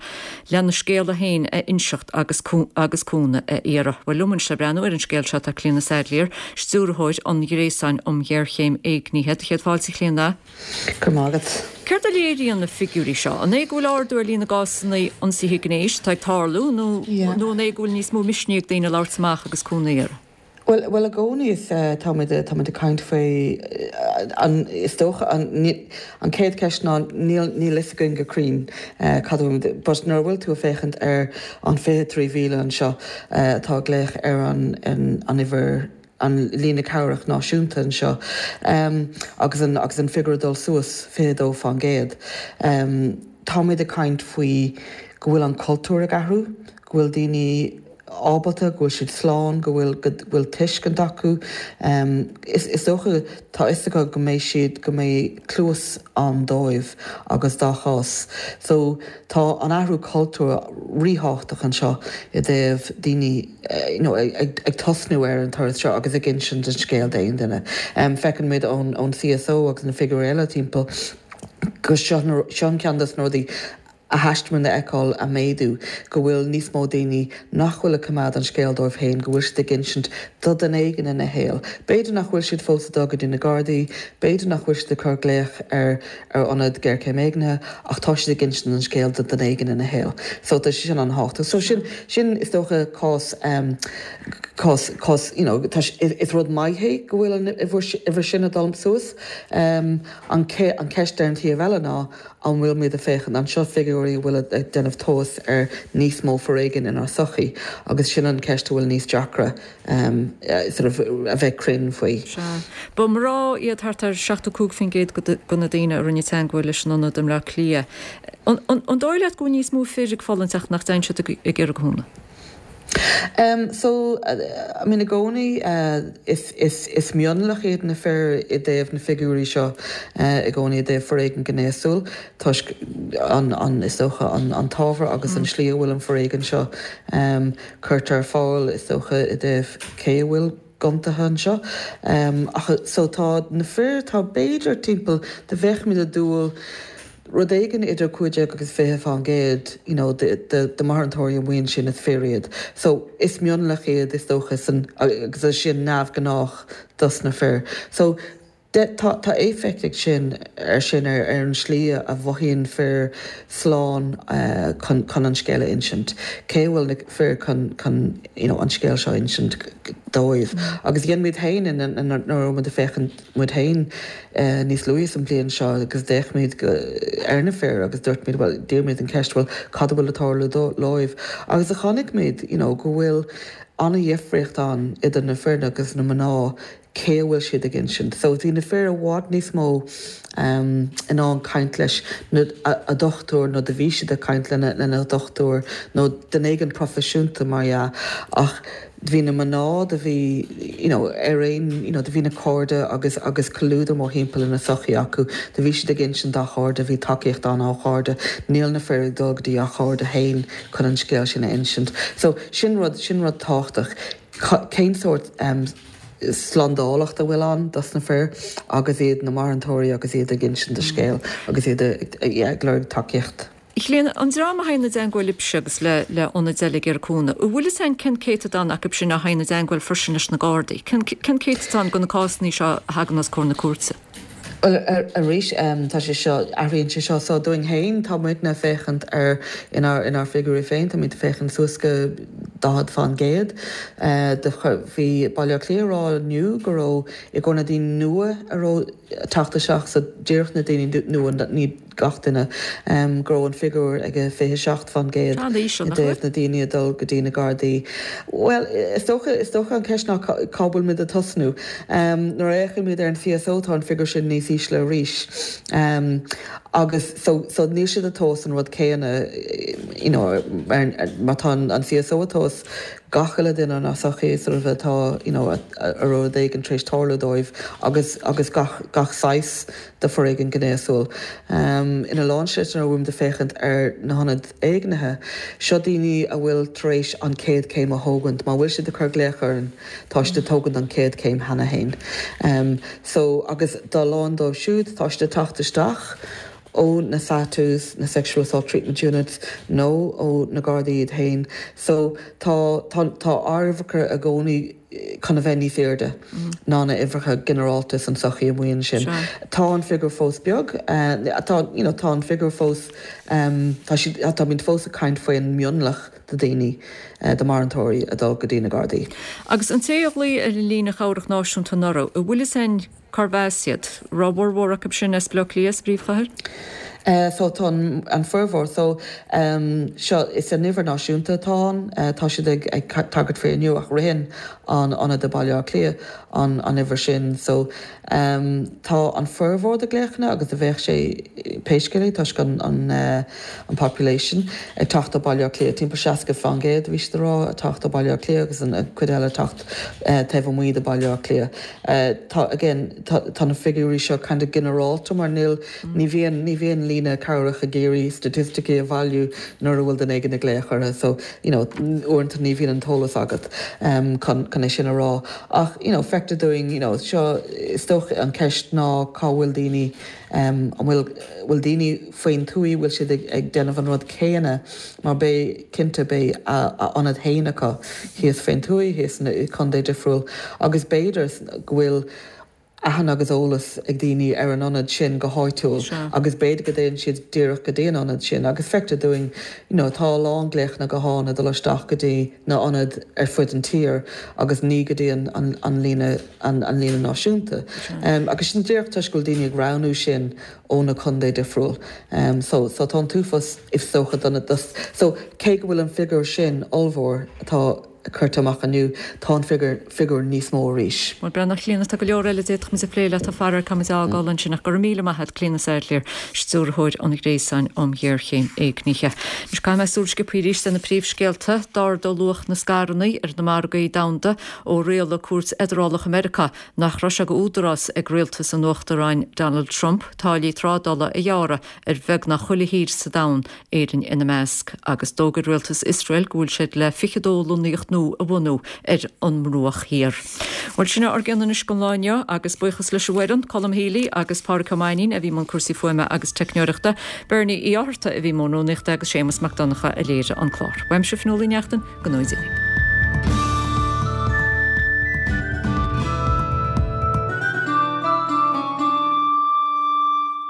lena scéala féin a inseacht agus agus cúnamh a iarraidh. Bhuel, liom anois le breathnú ar an scéal seo tá Clíona Saidléar, Stiúrthóir an Ghréasáin um Ghéarchéim Éignithe. Do chéad fáilte, a Chlíona.
Go raibh maith agat.
Céard a léiríonn na figiúirí seo? An é go bhfuil ardú ar líon na gcásanna ionsaithe gnéis atá ag tarlú nó nó an é go bhfuil níos mó misnigh ag daoine labhairt amach agus cúnamh a iarraidh?
Bhuel, bhuel i gcónaí is táimid táimid ag caint faoi an is dócha an an chéad cheist ná níl níl fhios againn go cruinn cad a bhfuil but nuair a bhfuil tú ag féachaint ar an 23,000 anseo atá ag glaoch ar an an uimhir an líne cabhrach náisiúnta anseo agus an agus an figiúr ag dul suas 22 fán gcéad táimid ag caint faoi go bhfuil an cultúr ag athrú go bhfuil daoine ábalta, go bhfuil siad slán, go bhfuil, go bhfuil tuiscint acu. Is, is dócha, tá fhios acu go mbeidh siad, go mbeidh cluas ann dóibh agus dá chás. So, tá an athrú cultúir ríthábhachtach anseo i dtaobh daoine, you know, ag, ag tosnú ar an turas seo agus ag insint an scéil d'aon duine. Feiceann muid ón, ón CSO agus na figiúirí eile timpeall go seo, seo an ceann dos na rudaí a theastaíonn a fheiceáil ag méadú, go bhfuil níos mó daoine nach bhfuil ag coimeád an scéal dóibh féin, go bhfuil siad ag insint do dhuine éigin ina shaol. B'fhéidir nach bhfuil siad fós ag dul go dtí na Gardaí, b'fhéidir nach bhfuil siad ag cur glaoch ar ar ionad géarchéim éignithe, ach tá siad ag insint an scéil do dhuine éigin ina shaol. So tá sé sin an-thábhachtach. So sin, sin is dócha cás, cás, cás, you know, tá, is rud maith é go bhfuil an uimhir sin ag dul suas. An an ceist ar an taobh eile ná, An bhfuil muid ag féachaint anseo figiúirí a bhfuil ag déanamh tomhas ar níos mó foréigin inár sochaí agus sin an ceist a bhfuil níos deacra sort of a bheith cruinn faoi.
Sea. Ba mná iad thart ar 75% de na daoine a rinne teagmháil leis an ionad i mBleá Cliath. An dóigh leat go bhfuil níos mó fir ag fulaingt ach nach dtéann siad ag iarraidh cúnamh?
Em so I mean i gcónaí is is is mionlach iad na fir i dtaobh na figiúirí seo i gcónaí i dtaobh foréigean gnéasúil toisc an an is dócha an an t-ábhar agus an slí a bhfuil an foréigean seo em curtha ar fáil is dócha i dtaobh cé a bhfuil ciontaithe anseo. Ach so tá na fir, tá b'fhéidir timpeall, dá mbeadh muid ag dúil rud éigin idir 15 agus 20 fán gcéad you know de de mharántóirí amuigh ansin is fir iad. So is mionlach iad is dócha san agus é sin neamhghnách dos na fir. So Tá tá éifeacht ag sin ar sin ar ar an slí a mhothaíonn fir slán chun chun an scéal a insint. Cé a bhfuil na fir chun chun you know an scéal seo a insint dóibh. Agus dhein muid féin nuair a raibh muid ag féachaint muid féin níos luaithe sa mbliain seo agus d'fhéach muid ar na fir agus dúirt muid bhuel d'iarr muid an cheist bhuel cad a bhfuil ag tarlú dóibh agus a chonaic muid you know go bhfuil an-dhifríocht ann idir na fir agus na mná cé a bhfuil siad ag insint. So bhí na fir i bhfad níos mó in ann caint leis na a dochtúir nó do bhí siad ag caint lena lena dochtúir nó duine éigin proifisiúnta mar dhea ach bhí na mná do bhí you know ar aon you know do bhí na cairde agus agus comhluadar mórthimpeall ina sochaí acu do bhí siad ag insint dá chairde bhí tacaíocht ann ó chairde níl na fir ag dul go dtí a chairde féin chun an scéal sin a insint. So sin rud sin rud tábhachtach. Cén sórt slándálacht a bhfuil ann dos na fir agus iad na maraítheoirí agus iad ag insint a scéal agus iad ag lorg tacaíocht?
Clíona, an dream a théann i dteangmháil libhse agus le le ionaid eile ag iarraidh cúnamh, an bhfuil fhios a'inn cén céatadán acu sin a théann i dteangmháil freisin leis na Gardaí? Cén cén céatadán de na cásanna seo a thagann os comhair na cúirte?
Bhuel, arís, tá sé seo, athraíonn sé seo. So, dúinn féin, tá muidne ag féachaint ar, inár, inár bhfigiúirí féin, táimid ag féachaint suas go 40 fán gcéad de, bhí Baile Átha Cliath ag rá inniu go raibh, i gcomhair na daoine nua a raibh ag teacht isteach, so díreach na daoine nua, ní gach duine, go raibh an figiúr ag 27 fán gcéad i dtaobh na daoine ag dul go dtí na Gardaí. Bhuel, is dócha, is dócha an cheist ná cá bhfuil muid ag tosnú. Nuair a fhéachann muid ar an CSO tá an figiúr sin níos ísle arís. Agus so, so níl siad ag tomhas an rud céanna, you know, mar tá an CSO ag tomhas gach uile duine inár sochaí sort of atá, you know, a raibh rud éigin tar éis tarlú dóibh agus, agus gach, gach saghas de foréigean gnéasúil. Ina lán slite nuair a bhfuil muid ag féachaint ar na hionaid éignithe, seo daoine a bhfuil tar éis an chéad chéim a thógaint. Má bhfuil siad ag cur glaoch orainn, tá siad ag tógaint an chéad chéim cheana féin. So, agus dá lán dóibh siúd, tá siad ag teacht isteach ó na SATUs, na Sexual Assault Treatment Units, nó ó na Gardaí iad féin. So, tá, tá, tá ár uimhreacha i gcónaí chun a bheith níos airde ná na uimhreacha ginearálta san sochaí amuigh ansin. Tá an figiúr fós beag, tá, you know, tá an figiúr fós, tá siad, táimid fós ag caint faoin mionlach de daoine, de mharántóirí ag dul go dtí na Gardaí.
Agus an té a ghlaoigh ar an líne chabhrach náisiúnta anuraidh, an bhfuil fhios a'inn Cárbh as iad? Raibh a bhformhór acu sin as Baile Átha Cliath, as an bpríomhchathair?
So tá an formhór, so seo, is an uimhir náisiúnta atá ann, tá siad ag ag tagairt faoi inniu ach ritheann an ionad i Baile Átha Cliath an an uimhir sin. So tá an formhór de glaochanna agus a bheadh sé pé scéal é toisc an an an population ag teacht ó Baile Átha Cliath, timpeall 60 fán gcéad bhí siad ag rá ag teacht ó Baile Átha Cliath agus an cuid eile ag teacht taobh amuigh de Baile Átha Cliath. Tá, again, tá, tá na figiúirí seo kind of ginearálta mar níl, ní bhíonn, ní bhíonn líne cabhrach ag iarraidh staitisticí a bhailiú nuair a bhfuil duine éigin ag glaoch orthu so, you know, uaireanta ní bhíonn an t-eolas agat chun, chun é sin a rá. Ach, you know, feictear dúinn, you know, seo, is dócha an cheist ná cá bhfuil daoine, An bhfuil bhfuil daoine faoin tuaith, bhfuil siad ag ag déanamh an rud céanna mar beidh, cinnte, beidh a a ionad féin acu thíos faoin tuaith, thíos i contae difriúil agus b'fhéidir go bhfuil aithne agus eolas ag daoine ar an ionad sin go háitiúil agus b'fhéidir go dtéann siad díreach go dtí an ionad sin agus feictear dúinn you know tá a lán glaochanna gutháin ag dul isteach go dtí na ionaid ar fud an tír agus ní go dtí an an an líne an líne náisiúnta. Agus sin díreach toisc go bhfuil daoine ag roghnú sin ó na contae difriúil. So, so tá an t-uafás is dócha do na, so cé go bhfuil an figiúr sin ollmhór, tá. curtha amach inniu, tá an figiúr, figiúr níos mó arís.
Bhuel, breathnaigh, a Chlíona, tá go leor eile a d'fhéadfadh muid a phlé leat, faraor caithfimid a fhágáil ansin ach go raibh míle maith a't, Clíona Saidléar, Stiúrthóir an Ghréasáin um Ghéarchéim Éignithe. Anois caithfidh mé súil sciobtha arís ar na príomhscéalta. D'ardaigh luach na scaireanna ar na margaí domhanda ó rialaigh cúirt fheidearálach i Meiriceá nach raibh sé d'údarás ag rialtas an Uachtaráin Donald Trump táillí trádála a ghearradh ar bheagnach chuile thír sa domhan, Éirinn ina measc, agus d'fhógair rialtas Iosrael go bhfuil siad le 22 lonnaíocht nua a bhunú ar an mBruach Thiar. Bhuel, sin é ár gcion anois don lá inniu, agus buíochas leis an bhfoireann, Colm Healy agus Pádraic Ó Mainnín a bhí i mbun cúrsaí fuaime agus teicneoireachta, Bernie Uí Fhátharta a bhí i mbun rúnaíochta agus Séamus Mac Donncha a léirigh an clár. Uaimse, Fionnuala Uí Neachtain, go ngnóthaí Dia libh.